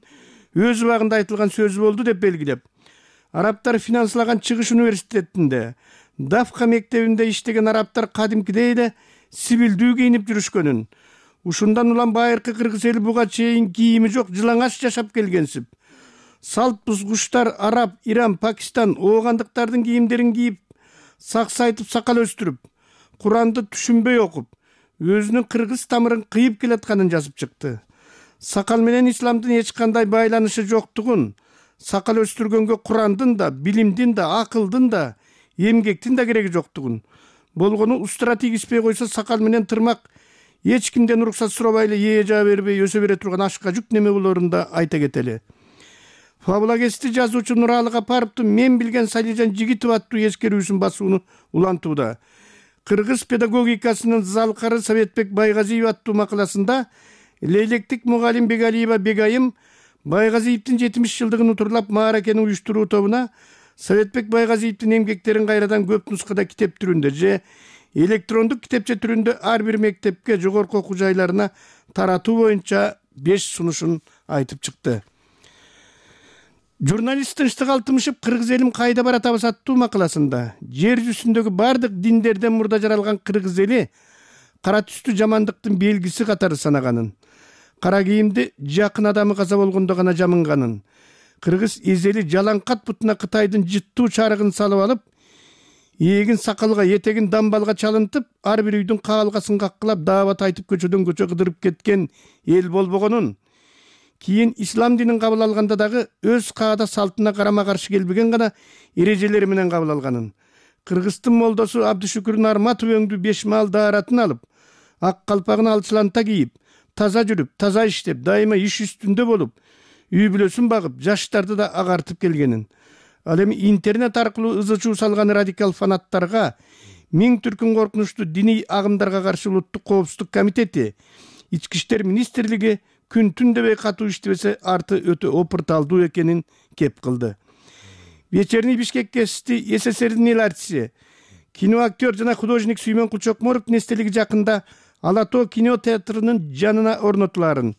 өз убагында айтылган сөзү болду деп белгилеп, арабтар финанслаган Чыгыш университетинде, Дафка мектебинде иштеген арабтар кадимкидей эле сибилдүү кийинип жүрүшкөнүн, ушундан улам байыркы кыргыз эли буга чейин кийими жок жылаңач жашап келгенсип, салт бузгучтар араб, Иран, Пакистан, оогандыктардын кийимдерин кийип, саксайтып сакал өстүрүп, Куранды түшүнбөй окуп, өзүнүн кыргыз тамырын кыйып келатканын жазып чыкты. Сакал менен исламдын эч кандай байланышы жоктугун, сакал өстүргөнгө Курандын да, билимдин да, акылдын да, эмгектин да кереги жоктугун, болгону устура тийгизбей койсо сакал менен тырмак эч кимден уруксат сурабай эле ээ жаа бербей өсө бере турган ашка жүк неме болорун да айта кетели. Фабула гезити жазуучу Нуралы Капаровдун Мен билген Салижан Жигитов аттуу эскерүүсүн басууну улантууда. Кыргыз педагогикасынын залкары Советбек Байгазиев аттуу макаласында лейлектик мугалим Бегалиева Бегайым Байгазиевдин 70 жылдыгын утурлап мааракени уюштуруу тобуна Советбек Байгазиевдин эмгектерин кайрадан көп нускада китеп түрүндө же электрондук китепче түрүндө ар бир мектепке, жогорку окуу жайларына таратуу боюнча 5 сунушун айтып чыкты. Журналист Тынчтык Алтымышев Кыргыз элим кайда баратабыз аттуу макаласында жер жүзүндөгү бардык диндерден мурда жаралган кыргыз эли кара түстүү жамандыктын белгиси катары санаганын, кара кийимди жакын адамы каза болгондо гана жамынганын, кыргыз эзели жалаңкат бутуна Кытайдын жыттуу чарыгын салып алып, эгин сакалга, этегин дамбалга чалынтып, ар бир үйдүн каалгасын каккылап, даават айтып көчөдөн көчө кыдырып кеткен эл болбогонун, кийин ислам динин кабыл алганда дагы өз каада салтына карама каршы келбеген гана эрежелери менен кабыл алганын, Кыргыздын молдосу Абдышүкүр Нарматов өңдүү 5 маал дааратын алып, ак калпагын алчыланта кийип, таза жүрүп, таза иштеп, дайыма иш үстүндө болуп, үй бүлөсүн багып, жаштарды да агартып келгенин, ал эми интернет аркылуу ызы чуу салган радикал фанаттарга, миң түркүн коркунучтуу диний агымдарга каршы улуттук коопсуздук комитети, ички иштер министрлиги күн түн дебей катуу иштебесе арты өтө опурталдуу экенин кеп кылды. Вечерний Бишкек гезити СССРдин эл артиси, киноактер жана художник Сүймөн Кулчокморовдун эстелиги жакында Ала Тоо кино театрынын жанына орнотуларын,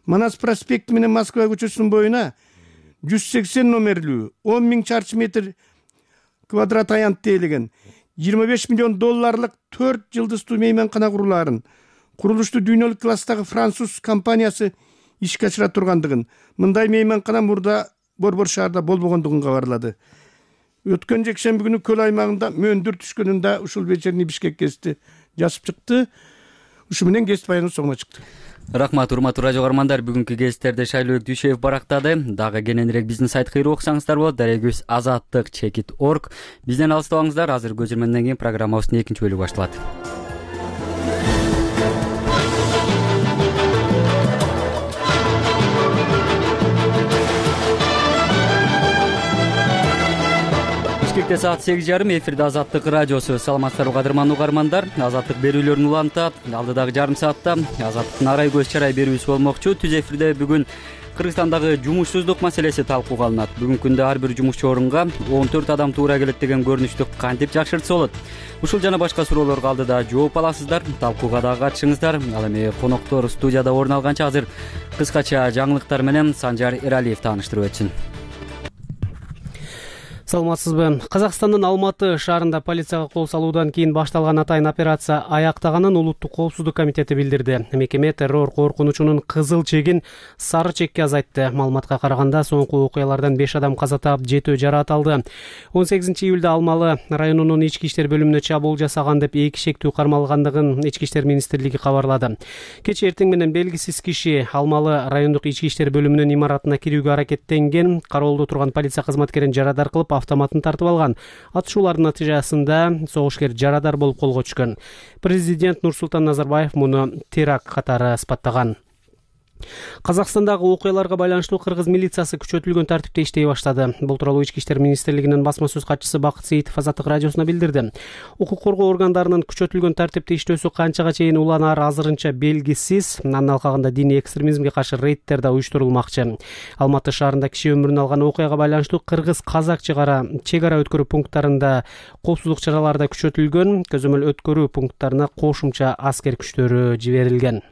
Манас проспекти менен Москва көчөсүнүн боюна 180 номерлүү 10 000 чарчы метр квадрат аянт тейлеген 25 миллион долларлык 4 жылдыздуу мейманкана курулаарын курулушту дүйнөлүк класстагы француз компаниясы ишке ашыра тургандыгын, мындай мейманкана мурда Борбор шаарда болбогондугун кабарлады. Өткөн жекшемби күнү көл аймагында мөндүр түшкөнүн да ушул вечерний Бишкек гезити жазып чыкты. Ушу менен гезит баянын соңуна чыкты. Рахмат, урматтуу радио каармандар. Бүгүнкү гезиттерди Шайлообек Дүйшөев барактады. Дагы кененирээк биздин сайтка кирип окусаңыздар болот. Дарегибиз azаттыk.org. Бизден алыстабаңыздар. Азыр көзөрмөндөн кийин программабыздын экинчи бөлүгү башталат. Бишкекте саат 8:30 эфирде Азаттык радиосу. Саламатсыздарбы кадырмандуу угармандар. Азаттык берүүлөрүн улантат. Алдыдагы жарым саатта Азаттыктын арай көз чарай берүүсү болмокчу. Түз эфирде бүгүн Кыргызстандагы жумушсуздук маселеси талкууга алынат. Бүгүнкү күндө ар бир жумушчу орунга 14 адам туура келет деген көрүнүштү кантип жакшыртса болот? Ушул жана башка суроолорго алдыда жооп аласыздар. Талкууга дагы катышыңыздар. Ал эми коноктор студияда орун алганча азыр кыскача жаңылыктар менен Санжар Эралиев тааныштырып өтсүн. Саламатсызбы? Казакстандын Алматы шаарында полицияга кол салуудан кийин башталган атайын операция аяктаганын Улуттук коопсуздук комитети билдирди. Мекеме террор коркунучунун кызыл чегин сары чекке азайтты. Маалыматка караганда соңку окуялардан 5 адам каза таап, 7 жараат алды. 18-июлда Алмалы районунун ички иштер бөлүмүнө чабуул жасаган деп 2 шектүү кармалгандыгын Ички иштер министрлиги кабарлады. Кечээ эртең менен белгисиз киши Алмалы райондук ички иштер бөлүмүнүн имаратына кирүүгө аракеттенген. Кароолдо турган полиция кызматкерин жарадар кылып, автоматын тартып алган. Атышуулардын натыйжасында согушкер жарадар болуп колго түшкөн. Президент Нурсултан Назарбаев муну теракт катары сыпаттаган. Казакстандагы окуяларга байланыштуу кыргыз милициясы күчөтүлгөн тартипте иштей баштады. Бул тууралуу Ички иштер министрлигинин басма сөз катчысы Бакыт Сейитов Азаттык радиосуна билдирди. Укук коргоо органдарынын күчөтүлгөн тартипте иштөөсү канчага чейин уланары азырынча белгисиз. Анын алкагында диний экстремизмге каршы рейдтер да уюштурулмакчы. Алматы шаарында киши өмүрүн алган окуяга байланыштуу кыргыз-казак чек ара өткөрүү пункттарында коопсуздук чаралары да күчөтүлгөн. Көзөмөл өткөрүү пункттарына кошумча аскер күчтөрү жиберилген.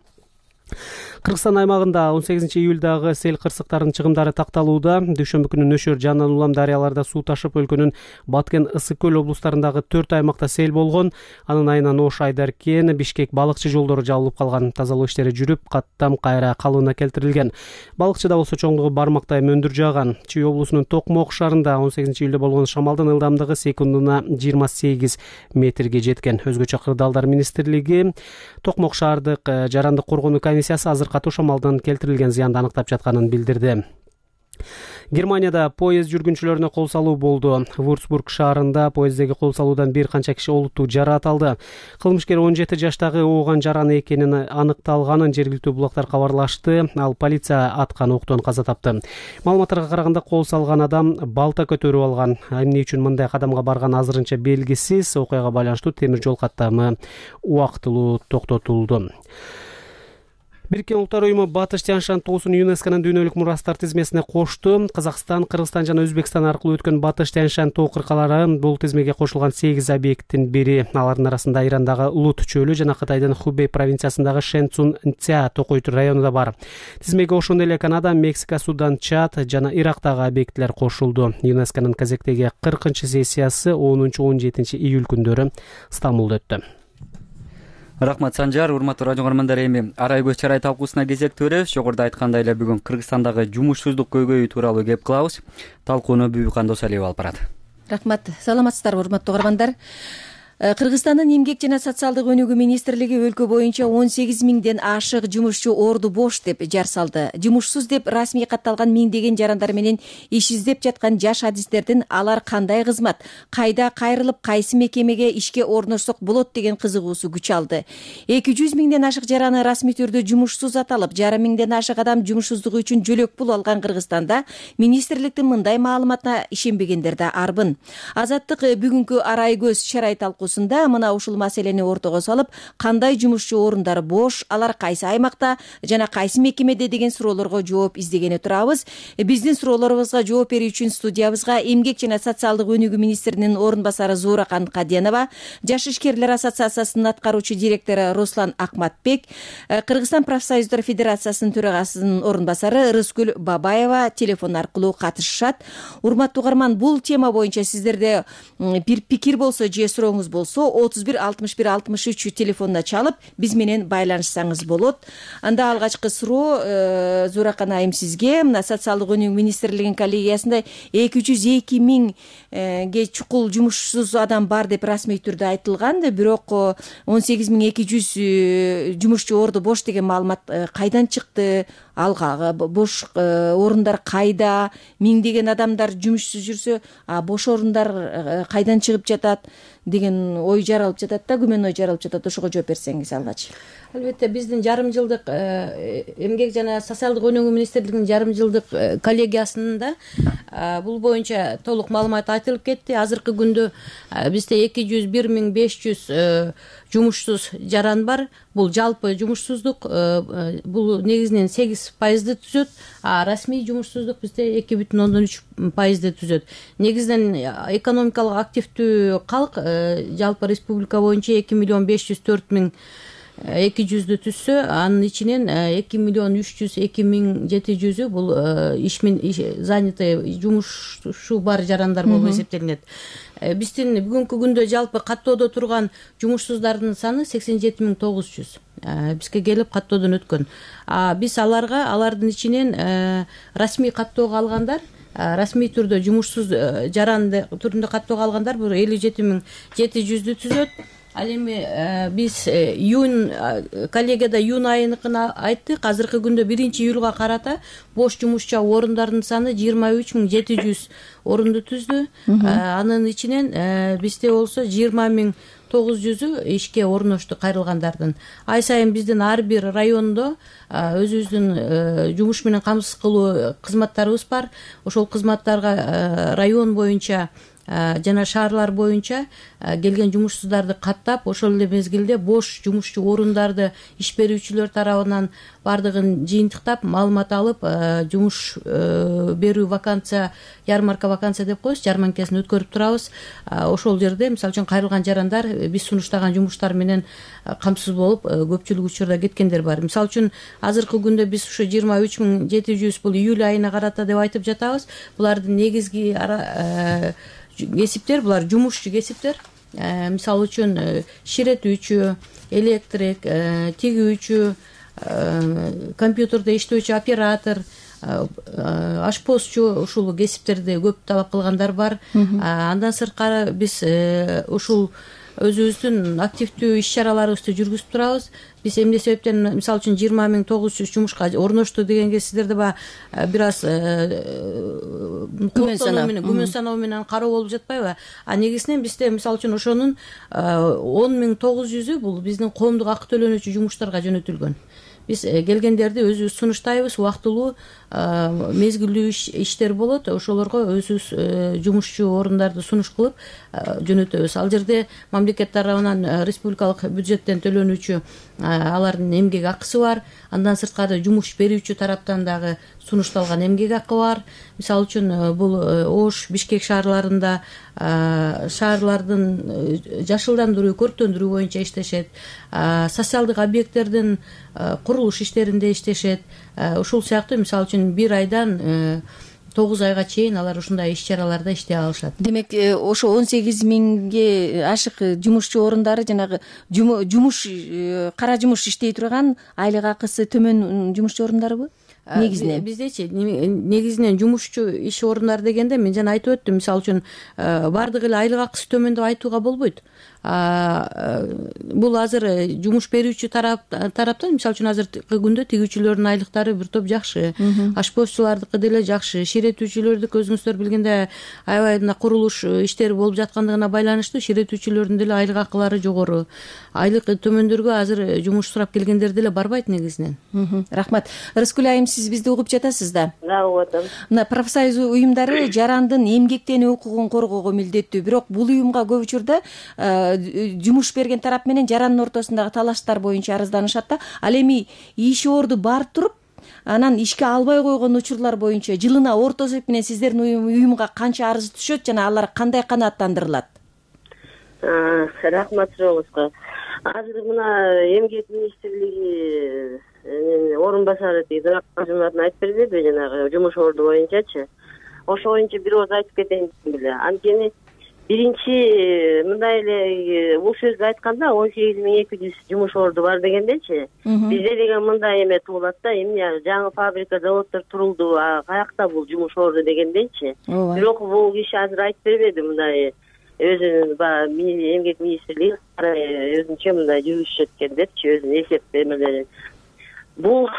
Кыргызстан аймагында 18-июлдагы сел кырсыктарынын чыгымдары такталууда. Дүйшөмбү күнү Нөшөр, Жанан Улам дарыяларда суу ташып, өлкөнүн Баткен, Ысык көл облустарындагы 4 аймакта сел болгон. Анын айынан Ош, Айдаркен, Бишкек балыкчы жолдору жабылып калган. Тазалоо иштери жүрүп, каттам кайра калыбына келтирилген. Балыкчыда болсо чоңдугу бармактай мөндүр жааган. Чүй облусунун Токмок шаарында 18-июлда болгон шамалдын ылдамдыгы секундуна 28 метрге жеткен. Өзгөчө Кырдаалдар министрлиги Токмок шаардык жарандык коргонуу комиссиясы азыр катуу шамалдан келтирилген зыянды аныктап жатканын билдирди. Германияда поезд жүргүнчүлөрүнө кол салуу болду. Вурцбург шаарында поездеги кол салуудан бир канча киши олуттуу жараат алды. Кылмышкер 17 жаштагы ооган жараны экенин аныкталганын жергиликтүү булактар кабарлашты. Ал полиция аткан октон каза тапты. Маалыматтарга караганда кол салган адам балта көтөрүп алган. Эмне үчүн мындай кадамга барган азырынча белгисиз. Окуяга байланыштуу темир жол каттамы убактылуу токтотулду. Бириккен Улуттар уюму Батыш Тянь-Шань тоосун ЮНЕСКОнун дүйнөлүк мурастар тизмесине кошту. Казакстан, Кыргызстан жана Өзбекстан аркылуу өткөн Батыш Тянь-Шань тоо кыркалары бул тизмеге кошулган 8 объекттин бири. Алардын арасында Ирандагы Лут чөлү жана Кытайдын Хубей провинциясындагы Шэнцун-Ця токойт району да бар. Тизмеге ошондой эле Канада, Мексика, Судан, Чад жана Ирактагы объекттер кошулду. ЮНЕСКонун кезектеги 40-сессиясы 10-17 июль күндөрү Стамбулда өттү. Рахмат, Санжар. Урматтуу радио көрөрмандар, эми арай көз чарай талкуусуна кезек төрөбүз. Жогоруда айткандай эле бүгүн Кыргызстандагы жумушсуздук көйгөйү тууралуу кеп кылабыз. Талкууну Бүбүкан Досалиева алып барат. Рахмат. Саламатсыздарбы, урматтуу көрөрмандар? Кыргызстандын эмгек жана социалдык өнүгүү министрлиги өлкө боюнча 18 миңден ашык жумушчу орду бош деп жар салды. Жумушсуз деп расмий катталган миңдеген жарандар менен иш издеп жаткан жаш адистердин алар кандай кызмат, кайда кайрылып, кайсы мекемеге ишке орношсок болот деген кызыгуусу күч алды. 200 миңден ашык жараны расмий түрдө жумушсуз аталып, жарым миңден ашык адам жумушсуздугу үчүн жөлөк пул алган Кыргызстанда министрликтин мындай маалыматына ишенбегендер да арбын. Азаттык бүгүнкү арай көз чарай талкуусу туурусунда мына ушул маселени ортого салып, кандай жумушчу орундар бош, алар кайсы аймакта жана кайсы мекемеде деген суроолорго жооп издегени турабыз. Биздин суроолорубузга жооп берүү үчүн студиябызга Эмгек жана социалдык өнүгүү министринин орун басары Зууракан Каденова, Жаш ишкерлер ассоциациясынын аткаруучу директору Руслан Акматбек, Кыргызстан профсоюздар федерациясынын төрагасынын орун басары Рыскүл Бабаева телефон аркылуу катышышат. Урматтуу угарман, бул тема боюнча сиздерде бир пикир болсо же сурооңуз болсо 31 61 63 телефонуна чалып биз менен байланышсаңыз болот. Анда алгачкы суроо Зууракан айым сизге. Мына социалдык өнүгүү министрлигинин коллегиясында 202 миңге чукул жумушсуз адам бар деп расмий түрдө айтылган, бирок 18200 жумушчу орду бош деген маалымат кайдан чыкты? Алга бош орундар кайда? Миңдеген адамдар жумушсуз жүрсө, бош орундар кайдан чыгып жатат деген ой жаралып жатат да, күмөн ой жаралып жатат. Ошого жооп берсеңиз алгач. Албетте, биздин жарым жылдык Эмгек жана социалдык өнүгүү министрлигинин жарым жылдык коллегиясында бул боюнча толук маалымат айтылып кетти. Азыркы күндө бизде 201.500 жумушсуз жаран бар. Бул жалпы жумушсуздук, бул негизинен 8% түзөт, а расмий жумушсуздук бизде 2,3% түзөт. Негизинен экономикалык активдүү калк жалпы республика боюнча 2,504,200 түзсө, анын ичинен 2,302,700 бул занятый жумушу бар жарандар болуп эсептелинет. Биздин бүгүнкү күндө жалпы каттоодо турган жумушсуздардын саны 87,900. Бизге келип каттоодон өткөн. Биз алардын ичинен расмий каттоого алгандар, расмий түрдө жумушсуз жаран түрүндө каттоого алгандар 57,700 түзөт. Ал эми биз коллегияда июнь айыныкын айттык. Азыркы күндө 1-июлга карата бош жумушчу орундардын саны 23,700 орунду түздү. Анын ичинен бизде болсо 20,900 ишке орношту кайрылгандардын. Ай сайын биздин ар бир райондо өзүбүздүн жумуш менен камсыз кылуу кызматтарыбыз бар. Ошол кызматтарга район боюнча жана шаарлар боюнча келген жумушсуздарды каттап, ошол эле мезгилде бош жумушчу орундарды иш берүүчүлөр тарабынан бардыгын жыйынтыктап, маалымат алып, жумуш берүү вакансия, ярмарка вакансия деп коебуз, жарманкасын өткөрүп турабыз. Ошол жерде, мисалы үчүн, кайрылган жарандар биз сунуштаган жумуштар менен камсыз болуп, көпчүлүк учурда кеткендер бар. Мисалы үчүн, азыркы күндө биз ушу 23,700 бул июль айына карата деп айтып жатабыз. Булардын негизги кесиптер, булар жумушчу кесиптер. Мисалы үчүн, ширетүүчү, электрик, тигүүчү, компьютерде иштөөчү оператор, ашпозчу, ушул кесиптерди көп талап кылгандар бар. Андан сырткары биз ушул өзүбүздүн активдүү иш чараларыбызды жүргүзүп турабыз. Биз эмне себептен, мисалы үчүн, 20,900 жумушка орношту дегенге сиздерде бир аз күмөн саноо менен кароо болуп жатпайбы? Негизинен бизде, мисалы үчүн, ошонун 10,900 бул биздин коомдук акы төлөнүүчү жумуштарга жөнөтүлгөн. Биз келгендерди өзүбүз сунуштайбыз, убактылуу мезгилдүү иштер болот, ошолорго өзүбүз жумушчу орундарды сунуш кылып жөнөтөбүз. Ал жерде мамлекет тарабынан республикалык бюджеттен төлөнүүчү алардын эмгек акысы бар. Андан сырткары жумуш берүүчү тараптан дагы сунушталган эмгек акы бар. Мисалы үчүн, бул Ош, Бишкек шаарларында шаарлардын жашылдандыруу, көрктөндүрүү боюнча иштешет. Социалдык объекттердин курулуш иштеринде иштешет. Ушул сыяктуу, мисалы үчүн, бир айдан 9 айга чейин алар ушундай иш чараларда иштей алышат. Демек, ошо 18 миңге ашык жумушчу орундары жанагы жумуш, кара жумуш иштей турган, айлык акысы төмөн жумушчу орундарыбы? Негизинен биздечи негизинен жумушчу иш орундары дегенде мен жана айтып өттүм, мисалы үчүн, бардыгы эле айлык акысы төмөн деп айтууга болбойт. Бул азыр жумуш берүүчү тараптан, мисалы үчүн, азыркы күндө тигүүчүлөрдүн айлыктары бир топ жакшы, ашпозчулардыкы деле жакшы, ширетүүчүлөрдүкү өзүңүздөр билгендей аябай мына курулуш иштери болуп жаткандыгына байланыштуу ширетүүчүлөрдүн деле айлык акылары жогору. Айлык төмөндөргө азыр жумуш сурап келгендер деле барбайт негизинен. Рахмат. Рыскүл айым, сиз бизди угуп жатасыз да? Угуп атам. Мына профсоюз уюмдары жарандын эмгектенүү укугун коргоого милдеттүү, бирок бул уюмга көп учурда жумуш берген тарап менен жарандын ортосундагы талаштар боюнча арызданышат да. Ал эми иш орду бар туруп, анан ишке албай койгон учурлар боюнча жылына орто эсеп менен сиздердин уюмга канча арыз түшөт жана алар кандай канааттандырылат? Рахмат сурообузга. Азыр мына эмгек министрлиги орун басары айтып бербеди жанагы жумуш орду боюнчачы. Ошо боюнча бир ооз айтып кетейин беле. Анткени биринчи мындай эле бул сөздү айтканда 18200 жумуш орду бар дегендечи, бизде деген мындай эме туулат да, эмне жаңы фабрика, заводдор турулду, каякта бул жумуш орду дегендечи. Бирок бул киши азыр айтып бербеди мындай өзүнүн баягы эмгек министрлиги өзүнчө мындай жүрүшүп эткендерчи, өзүнүн эсеп эмелерин. Бул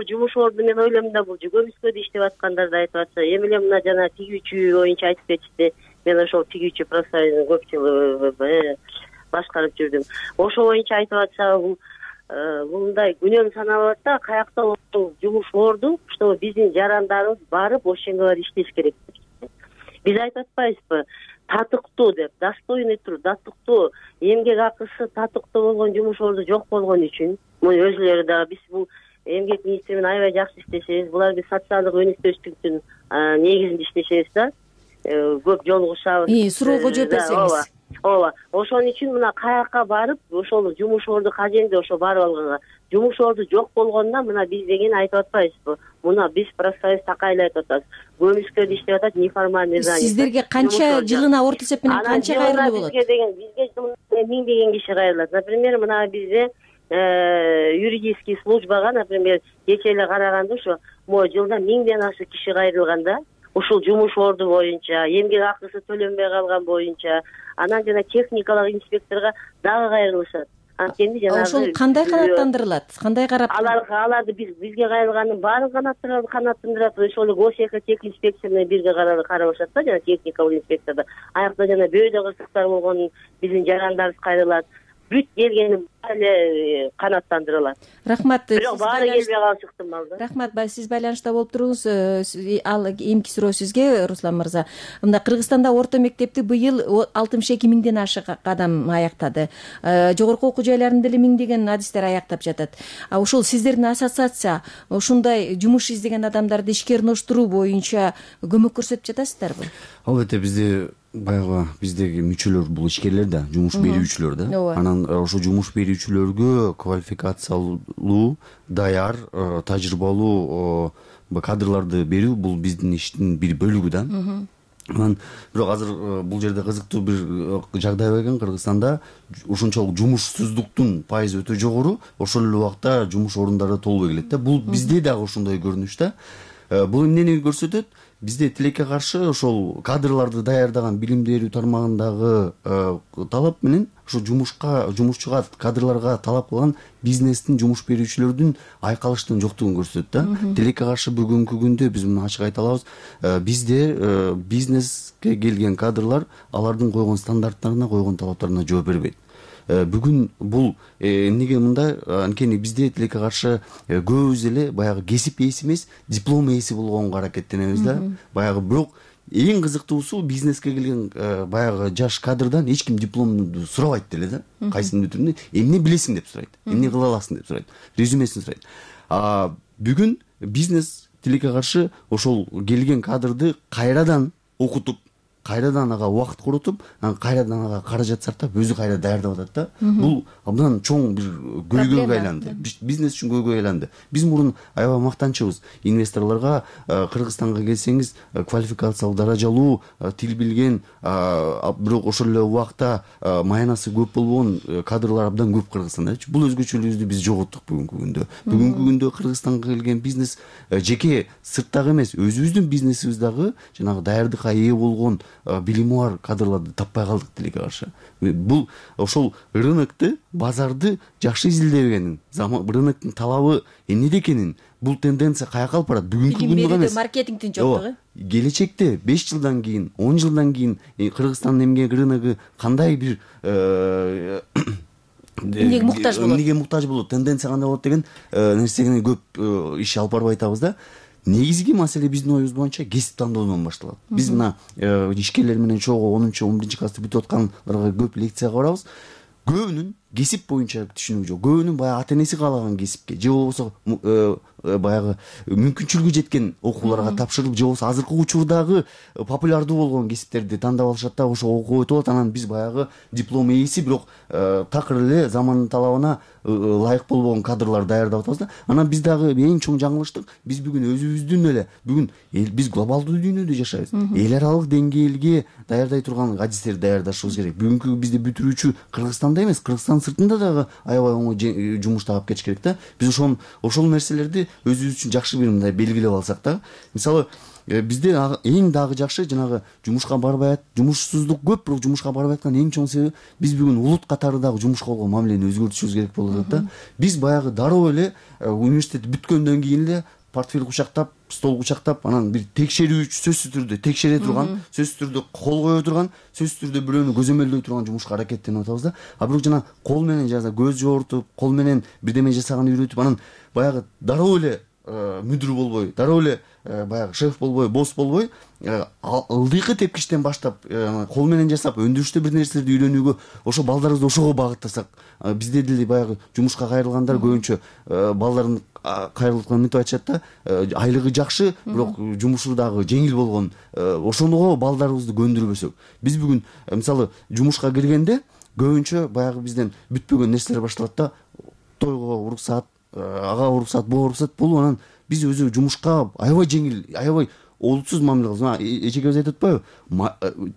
жумуш орду мен ойлойм да, бул көмүскөдө иштеп аткандарды айтып атса, эми эле мына жана тигүүчү боюнча айтып кетишти. Мен ошол тигүүчү профсоюздун көп жыл башкарып жүрдүм. Ошол боюнча айтып атса, бул мындай күнөм саналат да, каякта жумуш орду, что биздин жарандарыбыз барып ошенге барып иштеш керек. Биз айтып атпайбызбы? Татыктуу деп, достойный туруп, татыктуу эмгек акысы татыктуу болгон жумуш орду жок болгон үчүн, өзүлөрү дагы биз бул эмгек министри менен аябай жакшы иштешебиз. Булар биз социалдык өнүктүүчүлүктүн негизинде иштешебиз да. Көп жолугушабыз. Суроого жооп берсеңиз. Ооба. Ошон үчүн мына каякка барып, ошол жумуш орду каженде ошо барып алганга. Жумуш орду жок болгондо мына биз деген айтып атпайбызбы? Мына биз профсоюз такайлап атабыз. Көмүскөдө иштеп атат, неформальный занятие. Сиздерге канча жылына орто эсеп менен канча кайрылуу болот? Бизге 1000 деген киши кайрылат. Например, мына бизде юридический службага, например, кече эле караганда ошо жылда 1000ден ашык киши кайрылганда, ушул жумуш орду боюнча, эмгек акысы төлөнбөй калган боюнча, анан жана техникалык инспекторго дагы кайрылышат. Анткени жанагы ошол кандай канааттандырылат? Кандай карап? Аларды бизге кайрылганын баарын канааттандырат. Ошол эле госэхотех инспекция менен бирге карабашат да, жана техникалык инспектордо. Аякта жана бөөдө кырсыктар болгон биздин жарандарыбыз кайрылат. Бүт келгени эле канааттандырылат. Рахмат. Бирок баары келбей калышы ыктымал да. Рахмат. Сиз байланышта болуп туруңуз. Ал эмки суроо сизге, Руслан мырза. Мында Кыргызстанда орто мектепти быйыл 62 миңден ашык адам аяктады. Жогорку окуу жайларында деле миңдеген адистер аяктап жатат. Ушул сиздердин ассоциация ушундай жумуш издеген адамдарды ишкерноштуруу боюнча көмөк көрсөтүп жатасыздарбы? Албетте бизде баягы биздеги мүчөлөр бул ишкерлер да, жумуш берүүчүлөр да. Анан ошо жумуш берүүчүлөргө квалификациялуу, даяр, тажрыйбалуу кадрларды берүү бул биздин иштин бир бөлүгү да. Анан бирок азыр бул жерде кызыктуу бир жагдай бар экен. Кыргызстанда ушунчалык жумушсуздуктун пайызы өтө жогору, ошол эле убакта жумуш орундары толбой келет да. Бул бизде дагы ошондой көрүнүш да. Бул эмнени көрсөтөт? Бизде тилекке каршы ошол кадрларды даярдаган билим берүү тармагындагы талап менен ошо жумушчуга, кадрларга талап кылган бизнестин, жумуш берүүчүлөрдүн айкалыштын жоктугун көрсөтөт да. Тилекке каршы бүгүнкү күндө биз муну ачык айта алабыз. Бизде бизнеске келген кадрлар алардын койгон стандарттарына, койгон талаптарына жооп бербейт. Бүгүн бул эмнеге мындай? Анткени бизде тилекке каршы көбүбүз эле баягы кесип ээси эмес, диплом ээси болгонго аракеттенебиз да. Баягы бирок эң кызыктуусу бизнеске келген баягы жаш кадрдан эч ким дипломду сурабайт деле да. Кайсынын бүтүрүндө эмне билесиң деп сурайт, эмне кыла аласың деп сурайт, резюмесин сурайт. Бүгүн бизнес тилекке каршы ошол келген кадрды кайрадан окутуп, кайрадан ага убакыт коротуп, анан кайрадан ага каражат сартап, өзү кайра даярдап атат да. Бул абдан чоң бир көйгөйгө айланды. Бизнес үчүн көйгөй айланды. Биз мурун аябай мактанчыбыз. Инвесторлорго Кыргызстанга келсеңиз, квалификациялык даражалуу, тил билген, бирок ошол эле убакта маянасы көп болгон кадрлар абдан көп Кыргызстанда. Бул өзгөчөлүгүбүздү биз жоготтук бүгүнкү күндө. Бүгүнкү күндө Кыргызстанга келген бизнес жеке сырттагы эмес, өзүбүздүн бизнесибиз дагы жанагы даярдыкка ээ болгон билими бар кадрларды таппай калдык тилекке каршы. Бул ошол рынокту, базарды жакшы изилдебегенин, рыноктун талабы эмнеде экенин, бул тенденция каяка алып барат? Бүгүнкү күндө эмес. Маркетингдин жоктугу. Келечекте 5 жылдан кийин, 10 жылдан кийин Кыргызстандын эмгек рыногу кандай бир эмнеге муктаж болот, эмнеге муктаж болот, тенденция кандай болот деген нерсеге көп иш алып барбай атабыз да. Негизги маселе биздин оюбуз боюнча кесип тандоодон башталат. Биз мына ишкерлер менен чогуу 10-11 класста бүтүп аткандарга көп лекцияга барабыз. Көбүнүн кесип боюнча түшүнүгү жок. Көбүнүн баягы ата энеси каалаган кесипке же болбосо баягы мүмкүнчүлүгү жеткен окууларга тапшырылып, же болбосо азыркы учурдагы популярдуу болгон кесиптерди тандап алышат да, ошо окуп өтүп алат. Анан биз баягы диплом ээси, бирок такыр эле замандын талабына ылайык болбогон кадрлар даярдап атабыз да. Анан биз дагы эң чоң жаңылыштык, биз бүгүн өзүбүздүн эле биз глобалдуу дүйнөдө жашайбыз. Эл аралык деңгээлге даярдай турган адистерди даярдашыбыз керек. Бүгүнкү бизде бүтүрүүчү Кыргызстанда эмес, Кыргызстан сыртында дагы аябай оңой жумуш таап кетиш керек да. Биз ошол нерселерди өзүбүз үчүн жакшы бир мындай белгилеп алсак да. Мисалы, бизде эң дагы жакшы жанагы жумушка барбай, жумушсуздук көп, бирок жумушка барбай аткан эң чоң себеби биз бүгүн улут катары дагы жумушка болгон мамилени өзгөртүшүбүз керек болуп атат да. Биз баягы дароо эле университет бүткөндөн кийин эле портфель кучактап, стол кучактап, анан бир текшерүүчү сөзсүз түрдө текшере турган, сөзсүз түрдө кол кое турган, сөзсүз түрдө бирөөнү көзөмөлдөй турган жумушка аракеттенип атабыз да. А бирок жана кол менен көз жогортуп, кол менен бирдеме жасаганды үйрөтүп, анан баягы дароо эле мүдүр болбой, дароо эле баягы шеф болбой, босс болбой, ылдыйкы тепкичтен баштап кол менен жасап өндүрүштө бир нерселерди үйрөнүүгө, ошо балдарыбызды ошого багыттасак, бизде деле баягы жумушка кайрылгандар көбүнчө балдарын кайрылып мынтип айтышат да, айлыгы жакшы, бирок жумушу дагы жеңил болгон, ошого балдарыбызды көндүрбөсөк. Биз бүгүн мисалы жумушка киргенде көбүнчө баягы бизден бүтпөгөн нерселер башталат да. Тойго уруксат, ага уруксат, буга уруксат, бул анан биз өзү жумушка аябай жеңил, аябай олутсуз мамиле кылабыз. Эчекебиз айтып атпайбы?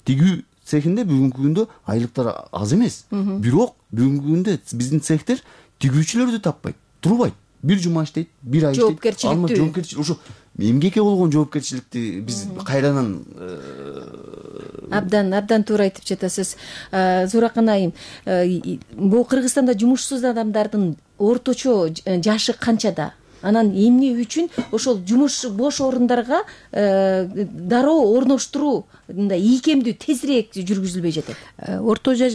Тигүү цехинде бүгүнкү күндө айлыктар аз эмес. Бирок бүгүнкү күндө биздин цехтер тигүүчүлөрдү таппайт, турбайт. Бир жума иштейт, бир ай иштейт. Жоопкерчиликтүү. Ошо эмгекке болгон жоопкерчиликти биз кайрадан абдан туура айтып жатасыз. Зууракан айым, бул Кыргызстанда жумушсуз адамдардын орточо жашы канчада? Анан эмне үчүн ошол жумуш бош орундарга дароо орноштуруу мындай ийкемдүү тезирээк жүргүзүлбөй жатат? Орточо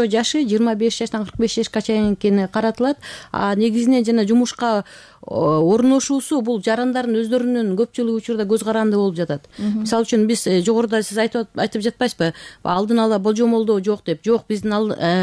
жашы 25 жаштан 45 жашка чейин экени каратылат. Негизинен жана жумушка орношуусу бул жарандардын өздөрүнүн көпчүлүк учурда көз каранды болуп жатат. Мисалы үчүн биз жогоруда сиз айтып жатпайсызбы, алдын ала болжомолдоо жок деп. Жок, биздин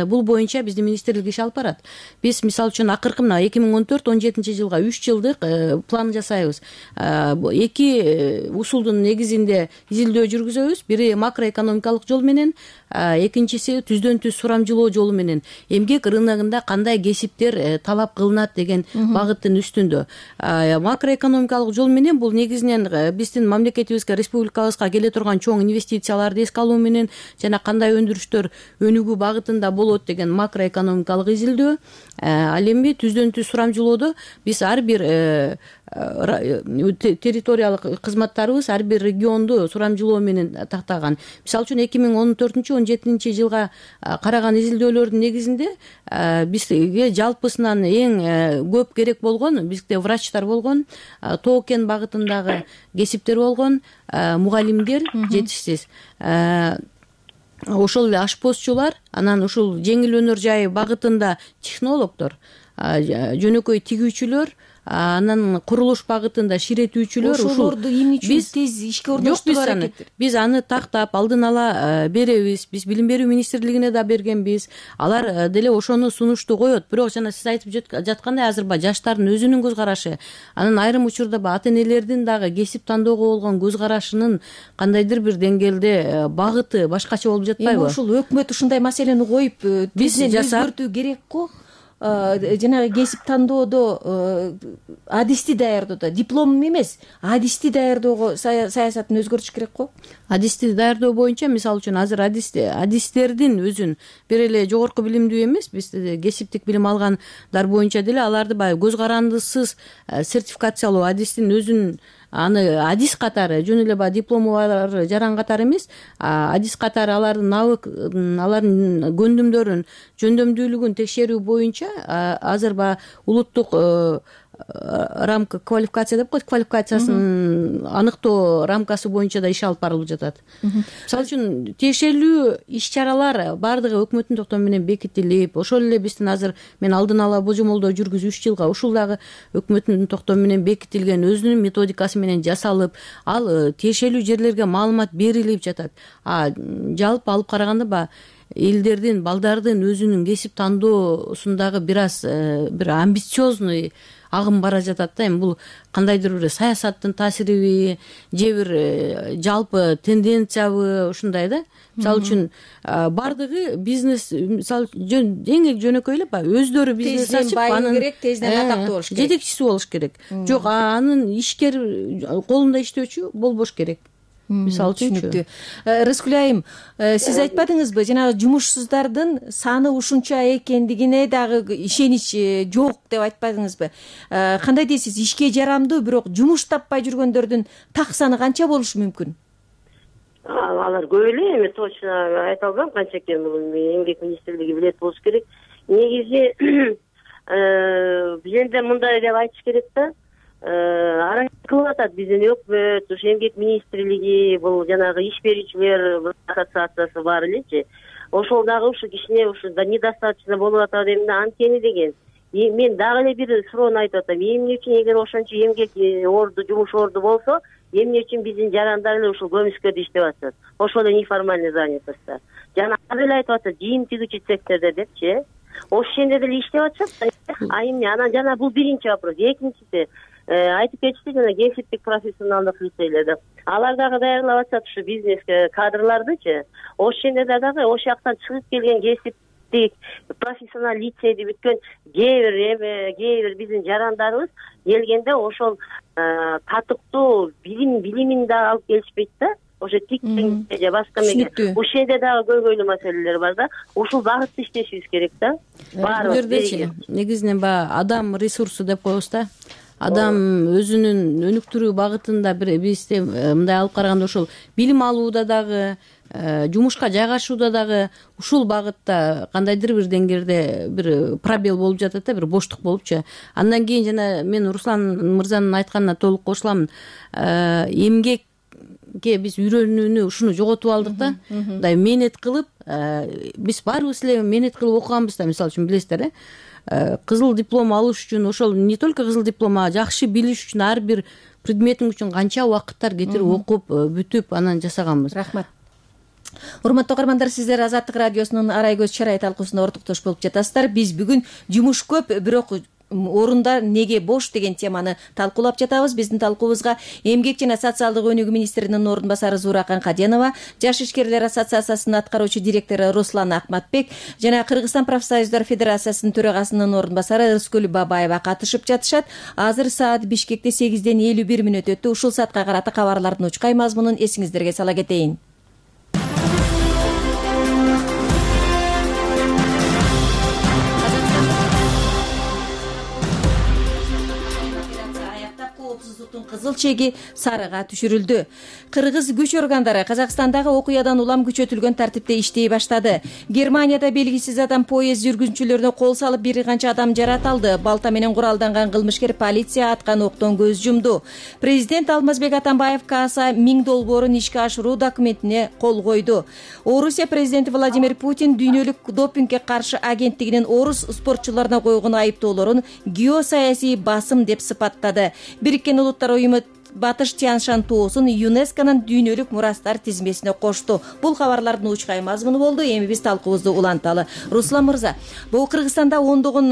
бул боюнча биздин министрлик иш алып барат. Биз мисалы үчүн акыркы мына 2014-17 жылга 3 жылдык план жасайбыз. Эки усулдун негизинде изилдөө жүргүзөбүз. Бири макроэкономикалык жол менен, экинчиси түздөн түз сурамжылоо жолу менен эмгек рыногунда кандай кесиптер талап кылынат деген багыттын үстүндө. Макроэкономикалык жол менен бул негизинен биздин мамлекетибизге, республикабызга келе турган чоң инвестицияларды эске алуу менен жана кандай өндүрүштөр өнүгүү багытында болот деген макроэкономикалык изилдөө. Ал эми түздөн түз сурамжылоодо биз ар бир территориялык кызматтарыбыз ар бир регионду сурамжылоо менен тактаган. Мисалы үчүн 2014-17 жылга караган изилдөөлөрдүн негизинде бизге жалпысынан эң көп керек болгон, бизде врачтар болгон, тоо кен багытындагы кесиптер болгон, мугалимдер жетишсиз. Ошол эле ашпозчулар, анан ушул жеңил өнөр жай багытында технологдор, жөнөкөй тигүүчүлөр, анан курулуш багытында ширетүүчүлөр, ошолорду эмне үчүн тез ишке орноштуруу аракет? Биз аны тактап алдын ала беребиз. Биз билим берүү министрлигине да бергенбиз. Алар деле ошону сунушту коет. Бирок жана сиз айтып жаткандай, азыр жаштардын өзүнүн көз карашы, анан айрым учурда ата энелердин дагы кесип тандоого болгон көз карашынын кандайдыр бир деңгээлде багыты башкача болуп жатпайбы? Ушул өкмөт ушундай маселени коюп, биз өзгөртүү керек го. Жанагы кесип тандоодо адисти даярдоодо, диплом эмес, адисти даярдоого саясатын өзгөртүш керек го. Адисти даярдоо боюнча мисалы үчүн азыр адистердин өзүн бир эле жогорку билимдүү эмес, биз кесиптик билим алгандар боюнча деле аларды баягы көз карандысыз сертификациялоо, адистин өзүн аны адис катары, жөн эле баягы диплому бар жаран катары эмес, адис катары алардын алардын көндүмдөрүн, жөндөмдүүлүгүн текшерүү боюнча азыр баягы улуттук рамка квалификация деп коет, квалификациясын аныктоо рамкасы боюнча да иш алып барылып жатат. Мисалы үчүн тиешелүү иш чаралар баардыгы өкмөттүн токтому менен бекитилип, ошол эле биздин азыр мен алдын ала божомолдоо жүргүзүп 3 жылга ушул дагы өкмөттүн токтому менен бекитилген өзүнүн методикасы менен жасалып, ал тиешелүү жерлерге маалымат берилип жатат. Жалпы алып караганда баягы элдердин, балдардын өзүнүн кесип тандоосундагы бир амбициозный агым бара жатат да. Эми бул кандайдыр бир саясаттын таасириби же бир жалпы тенденциябы ушундай да. Мисалы үчүн баардыгы бизнес, мисалы эң жөнөкөй эле баягы өздөрү бизнес ачып, анын керек, тезден атактуу болуш керек, жетекчиси болуш керек. Жок, анын ишкер колунда иштөөчү болбош керек. Мисалы түшүнүктүү. Рыскүл айым, сиз айтпадыңызбы, жанагы жумушсуздардын саны ушунча экендигине дагы ишенич жок деп айтпадыңызбы? Кандай дейсиз, ишке жарамдуу, бирок жумуш таппай жүргөндөрдүн так саны канча болушу мүмкүн? Алар көп эле, эми точно айта албайм канча экен, бул эмгек министрлиги билет болуш керек. Негизи бизде мындай деп айтыш керек да. Аракет кылып атат биздин өкмөт, ушу эмгек министрлиги, бул жанагы иш берүүчүлөр ассоциациясы бар элечи. Ошол дагы ушу кичине ушу недостаточно болуп атат эмне анткени деген. Мен дагы эле бир суроону айтып атам. Эмне үчүн эгер ошончо эмгек орду, жумуш орду болсо, эмне үчүн биздин жарандар эле ушул көмүскөрдө иштеп атышат? Ошол эле неформальный занятостта. Жана азыр эле айтып атат, кийим тигүүчү сектордо депчи. Ошол жерде деле иштеп атышат. Эмне? Анан жана бул биринчи вопрос. Экинчиси, айтып кетишти жана кесиптик профессионалдык лицейлерде. Алар дагы даярдап атышат ушу бизнеске кадрлардычы. Ошол жерде дагы ошол жактан чыгып келген кесиптик профессионал лицейди бүткөн кээ бир биздин жарандарыбыз келгенде ошол татыктуу билимин да алып келишпейт да. Ошо тиктеңде же башка меге. Ошол жерде дагы көйгөйлүү маселелер бар да. Ушул багытта иштешибиз керек да. Баарыбыз негизинен баягы адам ресурсу деп коебуз да. Адам өзүнүн өнүктүрүү багытында бизде мындай алып караганда ошол билим алууда дагы, жумушка жайгашууда дагы ушул багытта кандайдыр бир деңгээлде бир пробел болуп жатат да, бир боштук болупчу. Андан кийин жана мен Руслан мырзанын айтканына толук кошуламын. Эмгекке биз үйрөнүүнү ушуну жоготуп алдык да. Мындай мээнет кылып, биз баарыбыз эле мээнет кылып окуганбыз да, мисалы үчүн билесиздер, кызыл диплом алыш үчүн, ошол не только кызыл диплом, а жакшы билиш үчүн ар бир предметиң үчүн канча убакыттар кетирип окуп, бүтүп анан жасаганбыз. Рахмат. Урматтуу каармандар, сиздер Азаттык радиосунун Арай көз чарай талкуусунда ортоктош болуп жатасыздар. Биз бүгүн жумуш көп, бирок орундар неге бош деген теманы талкуулап жатабыз. Биздин талкуубузга эмгек жана социалдык өнүгүү министринин орун басары Зууракан Каденова, Жаш ишкерлер ассоциациясынын аткаруучу директору Руслан Акматбек жана Кыргызстан профсоюздар федерациясынын төрагасынын орун басары Рыскүл Бабаева катышып жатышат. Азыр саат Бишкекте 8:51 өттү. Ушул саатка карата кабарлардын учкай мазмунун эсиңиздерге сала кетейин. Кызыл чеги сарыга түшүрүлдү. Кыргыз күч органдары Казакстандагы окуядан улам күчөтүлгөн тартипте иштей баштады. Германияда белгисиз адам поезд жүргүнчүлөрүнө кол салып бир канча адам жараталды. Балта менен куралданган кылмышкер полиция аткан октон көз жумду. Президент Алмазбек Атамбаев КАСа 1000 долбоорун ишке ашыруу документине кол койду. Орусия президенти Владимир Путин дүйнөлүк допингге каршы агенттигинин орус спортчуларына койгон айыптоолорун геосаясий басым деп сыпаттады. Бириккен Улуттар уюму Батыш Тяншан тоосун ЮНЕСКОнун дүйнөлүк мурастар тизмесине кошту. Бул кабарлардын учкай мазмуну болду. Эми биз талкуубузду уланталы. Руслан мырза, бул Кыргызстанда ондогон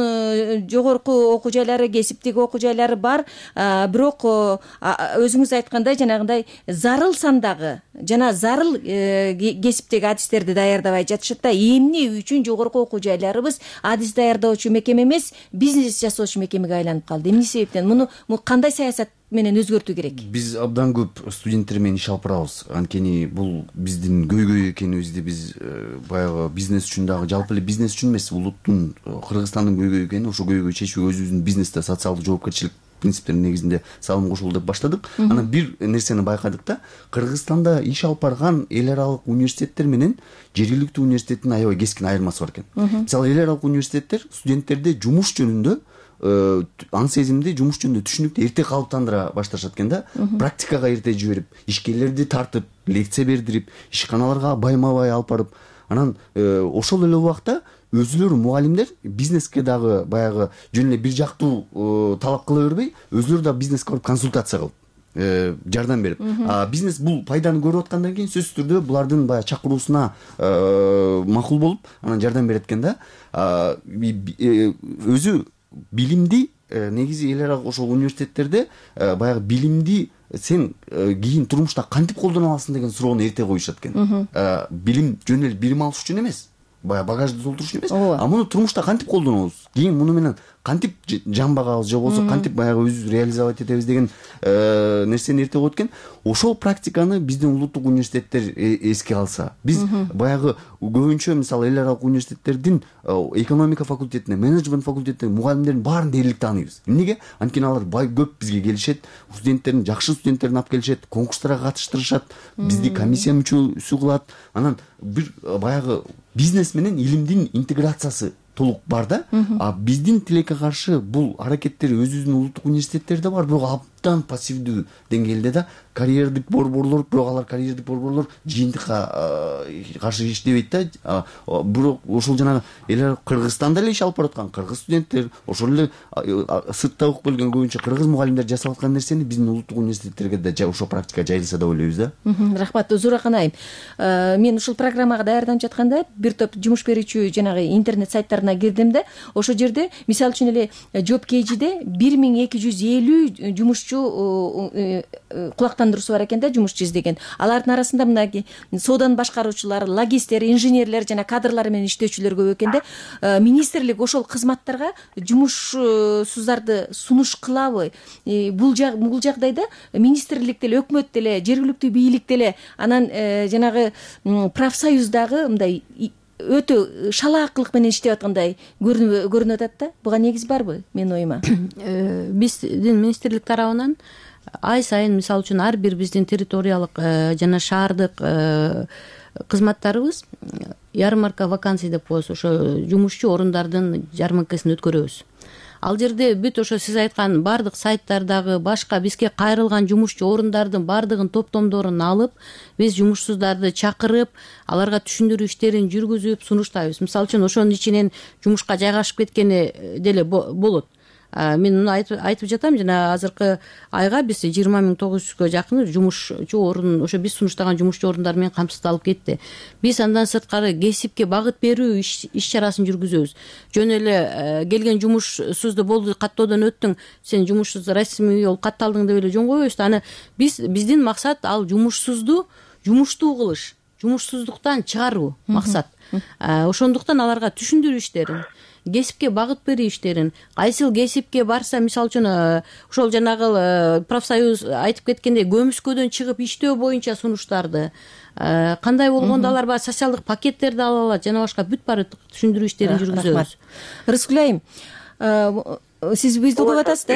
жогорку окуу жайлары, кесиптик окуу жайлары бар, бирок өзүңүз айткандай жанагындай зарыл сандагы жана зарыл кесиптеги адистерди даярдабай жатышат да. Эмне үчүн жогорку окуу жайларыбыз адис даярдоочу мекеме эмес, бизнес жасоочу мекемеге айланып калды? Эмне себептен? Муну кандай саясат менен өзгөртүү керек? Биз абдан көп студенттер менен иш алып барабыз. Анткени бул биздин көйгөй экенибизди биз баягы бизнес үчүн дагы, жалпы эле бизнес үчүн эмес, улуттун, Кыргызстандын көйгөйү экени, ошо көйгөйдү чечүүгө өзүбүздүн бизнесте социалдык жоопкерчилик принциптеринин негизинде салым кошулду деп баштадык. Анан бир нерсени байкадык да, Кыргызстанда иш алып барган эл аралык университеттер менен жергиликтүү университеттин аябай кескин айырмасы бар экен. Мисалы, эл аралык университеттер студенттерди жумуш жөнүндө аң сезимди жумуш жөнүндө түшүнүктү эрте калыптандыра башташат экен да. Практикага эрте жиберип, ишкерлерди тартып, лекция бердирип, ишканаларга байма бай алып барып, анан ошол эле убакта өзүлөрү мугалимдер бизнеске дагы баягы жөн эле бир жактуу талап кыла бербей, өзүлөрү да бизнеске барып консультация кылып жардам берип, бизнес бул пайданы көрүп аткандан кийин сөзсүз түрдө булардын баягы чакыруусуна макул болуп, анан жардам берет экен да. Өзү билимди негизи эл аралык ошол университеттерде баягы билимди сен кийин турмушта кантип колдоно аласың деген суроону эрте коюшат экен. Билим жөн эле билим алыш үчүн эмес, баягы багажды толтуруш эмес, а муну турмушта кантип колдонобуз, кийин муну менен кантип жан багабыз же болбосо кантип баягы өзүбүздү реализовать этебиз деген нерсени эрте коет экен. Ошол практиканы биздин улуттук университеттер эске алса, биз баягы көбүнчө мисалы эл аралык университеттердин экономика факультетине, менеджмент факультетине мугалимдердин баарын дээрлик тааныйбыз. Эмнеге? Анткени алар көп бизге келишет, студенттерин, жакшы студенттерин алып келишет, конкурстарга катыштырышат, бизди комиссия мүчөсү кылат. Анан бир баягы бизнес менен илимдин интеграциясы толук бар да. А биздин тилекке каршы бул аракеттер өзүбүздүн улуттук университеттерде бар, бирок абдан пассивдүү деңгээлде да. Карьердик борборлор, бирок алар карьердик борборлор жыйынтыкка каршы иштебейт да. Бирок ошол жанагы эл Кыргызстанда эле иш алып бараткан кыргыз студенттер, ошол эле сыртта окуп келген көбүнчө кыргыз мугалимдер жасап аткан нерсени биздин улуттук университеттерге да ошол практика жайылса деп ойлойбуз да. Рахмат, Зууракан айым. Мен ушул программага даярданып жатканда бир топ жумуш берүүчү жанагы интернет сайттарына кирдим да. Ошол жерде мисалы үчүн эле JobKG-де 1250 жумушчу кулактандыруусу бар экен да, жумушчу издеген. Алардын арасында мынакей сооданы башкаруучулар, логисттер, инженерлер жана кадрлар менен иштөөчүлөр көп экен да. Министрлик ошол кызматтарга жумушсуздарды сунуш кылабы? Бул жагдайда министрлик деле, өкмөт деле, жергиликтүү бийлик деле, анан жанагы профсоюздагы мындай өтө шалаакылык менен иштеп аткандай көрүнүп атат да. Буга негиз барбы менин оюма? Биздин министрлик тарабынан ай сайын мисалы үчүн ар бир биздин территориялык жана шаардык кызматтарыбыз ярмарка вакансий деп коебуз, ошо жумушчу орундардын жарманкасын өткөрөбүз. Ал жерде бүт ошо сиз айткан бардык сайттардагы башка бизге кайрылган жумушчу орундардын бардыгын топтомдорун алып, биз жумушсуздарды чакырып, аларга түшүндүрүү иштерин жүргүзүп сунуштайбыз. Мисалы үчүн ошонун ичинен жумушка жайгашып кеткени деле болот. Мен муну айтып жатам, жана азыркы айга биз 20,900гө жакын жумушчу орун, ошо биз сунуштаган жумушчу орундар менен камсыздалып кетти. Биз андан сырткары кесипке багыт берүү иш чарасын жүргүзөбүз. Жөн эле келген жумушсузду болду, каттоодон өттүң, сен жумушсуз расмий болуп катталдың деп эле жөн койбойбуз. Аны биздин максат ал жумушсузду жумуштуу кылыш, жумушсуздуктан чыгаруу максат. Ошондуктан аларга түшүндүрүү иштерин, кесипке багыт берүү иштерин, кайсыл кесипке барса, мисалы үчүн ошол жанагы профсоюз айтып кеткендей көмүскөдөн чыгып иштөө боюнча сунуштарды, кандай болгондо алар баягы социалдык пакеттерди ала алат, жана башка бүт баары түшүндүрүү иштерин жүргүзөбүз. Рыскүл айым, сиз бизди угуп атасыз да?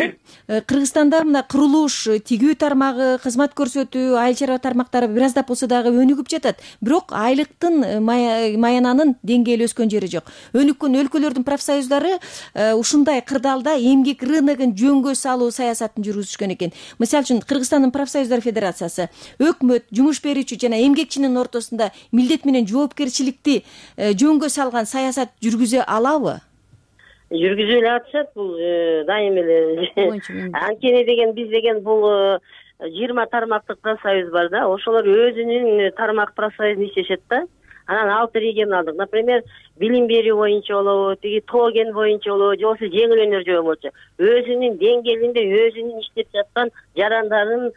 Кыргызстанда мына курулуш, тигүү тармагы, кызмат көрсөтүү, айыл чарба тармактары бир аздап болсо дагы өнүгүп жатат. Бирок айлыктын, маянанын деңгээли өскөн жери жок. Өнүккөн өлкөлөрдүн профсоюздары ушундай кырдаалда эмгек рыногун жөнгө салуу саясатын жүргүзүшкөн экен. Мисалы үчүн Кыргызстандын профсоюздар федерациясы өкмөт, жумуш берүүчү жана эмгекчинин ортосунда милдет менен жоопкерчиликти жөнгө салган саясат жүргүзө алабы? Жүргүзүп эле атышат, бул дайым эле. Анткени деген биз деген бул 20 тармактык профсоюз бар да, ошолор өзүнүн тармак профсоюзун иштешет да. Анан 6 регионалдык, например, билим берүү боюнча болобу, тиги тоген боюнча болобу, же болбосо жеңил өнөр боюнча өзүнүн деңгээлинде өзүнүн иштеп жаткан жарандарын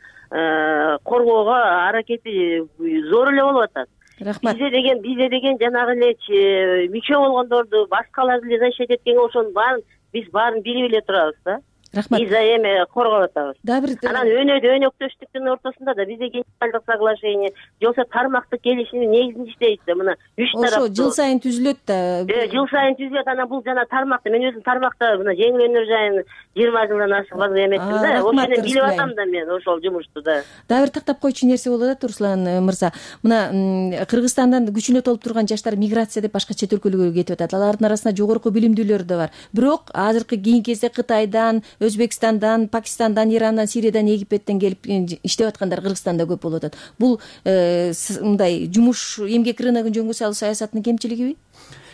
коргоого аракети зор эле болуп атат. Рахмат. Бизде деген жанагы эле мүчө болгондорду башкаларды эле защищать эткенге ошонун баарын биз билип эле турабыз да. Рахмат. Биз эме коргоп атабыз. Дагы бир анан өнөктөштүктүн ортосунда да бизде генеральдык соглашение же болбосо тармактык келишим негизинде иштейт да. Мына 3 тарап ошо жыл сайын түзүлөт да. Жыл сайын түзүлөт. Анан бул жана тармакта мен өзүм тармакта мына жеңил өнөр жайын 20 жылдан ашык эметтим да. Ошону билип атам да мен ошол жумушту да. Дагы бир тактап койчу нерсе болуп атат Руслан мырза. Мына Кыргызстандан күчүнө толуп турган жаштар миграция деп башка чет өлкөлөргө кетип атат. Алардын арасында жогорку билимдүүлөр да бар. Бирок азыркы кийинки кезде Кытайдан, Өзбекстандан, Пакистандан, Ирандан, Сириядан, Египеттен келип иштеп аткандар Кыргызстанда көп болуп атат. Бул мындай жумуш эмгек рыногун жөнгө салуу саясатынын кемчилигиби?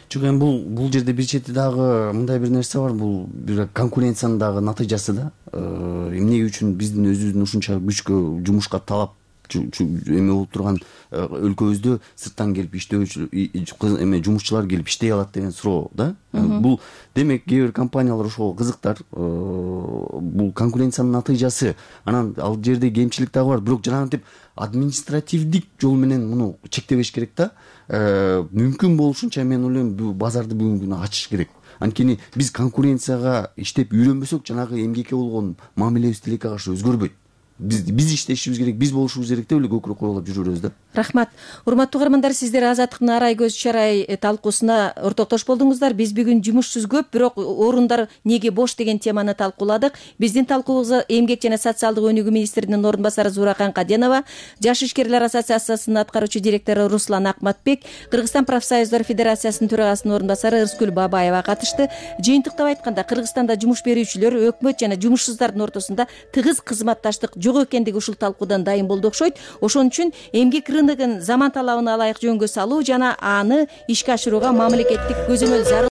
Жок, эми бул жерде бир чети дагы мындай бир нерсе бар. Бул бир конкуренциянын дагы натыйжасы да. Эмне үчүн биздин өзүбүздүн ушунча күчкө жумушка талап эме болуп турган өлкөбүздө сырттан келип иштөөчү жумушчулар келип иштей алат деген суроо да. Бул демек кээ бир компаниялар ошого кызыктар. Бул конкуренциянын натыйжасы. Анан ал жерде кемчилик дагы бар. Бирок жанагынтип административдик жол менен муну чектебеш керек да. Мүмкүн болушунча мен ойлойм бул базарды бүгүнкү күнү ачыш керек. Анткени биз конкуренцияга иштеп үйрөнбөсөк, жанагы эмгекке болгон мамилебиз тилекке каршы өзгөрбөйт. Биз иштешибиз керек, биз болушубуз керек деп эле көкүрөк куралап жүрөбүз да. Рахмат. Урматтуу угармандар, сиздер Азаттыктын арай көз чарай талкуусуна ортоктош болдуңуздар. Биз бүгүн жумушсуз көп, бирок орундар неге бош деген теманы талкууладык. Биздин талкуубузга Эмгек жана социалдык өнүгүү министринин орун басары Зууракан Каденова, Жаш ишкерлер ассоциациясынын аткаруучу директору Руслан Акматбек, Кыргызстан профсоюздар федерациясынын төрагасынын орун басары Ырыскүл Бабаева катышты. Жыйынтыктап айтканда, Кыргызстанда жумуш берүүчүлөр, өкмөт жана жумушсуздардын ортосунда тыгыз кызматташтык жок экендиги ушул талкуудан дайым болду окшойт. Ошон үчүн эмгек рыногун заман талабына ылайык жөнгө салуу жана аны ишке ашырууга мамлекеттик көзөмөл зарыл.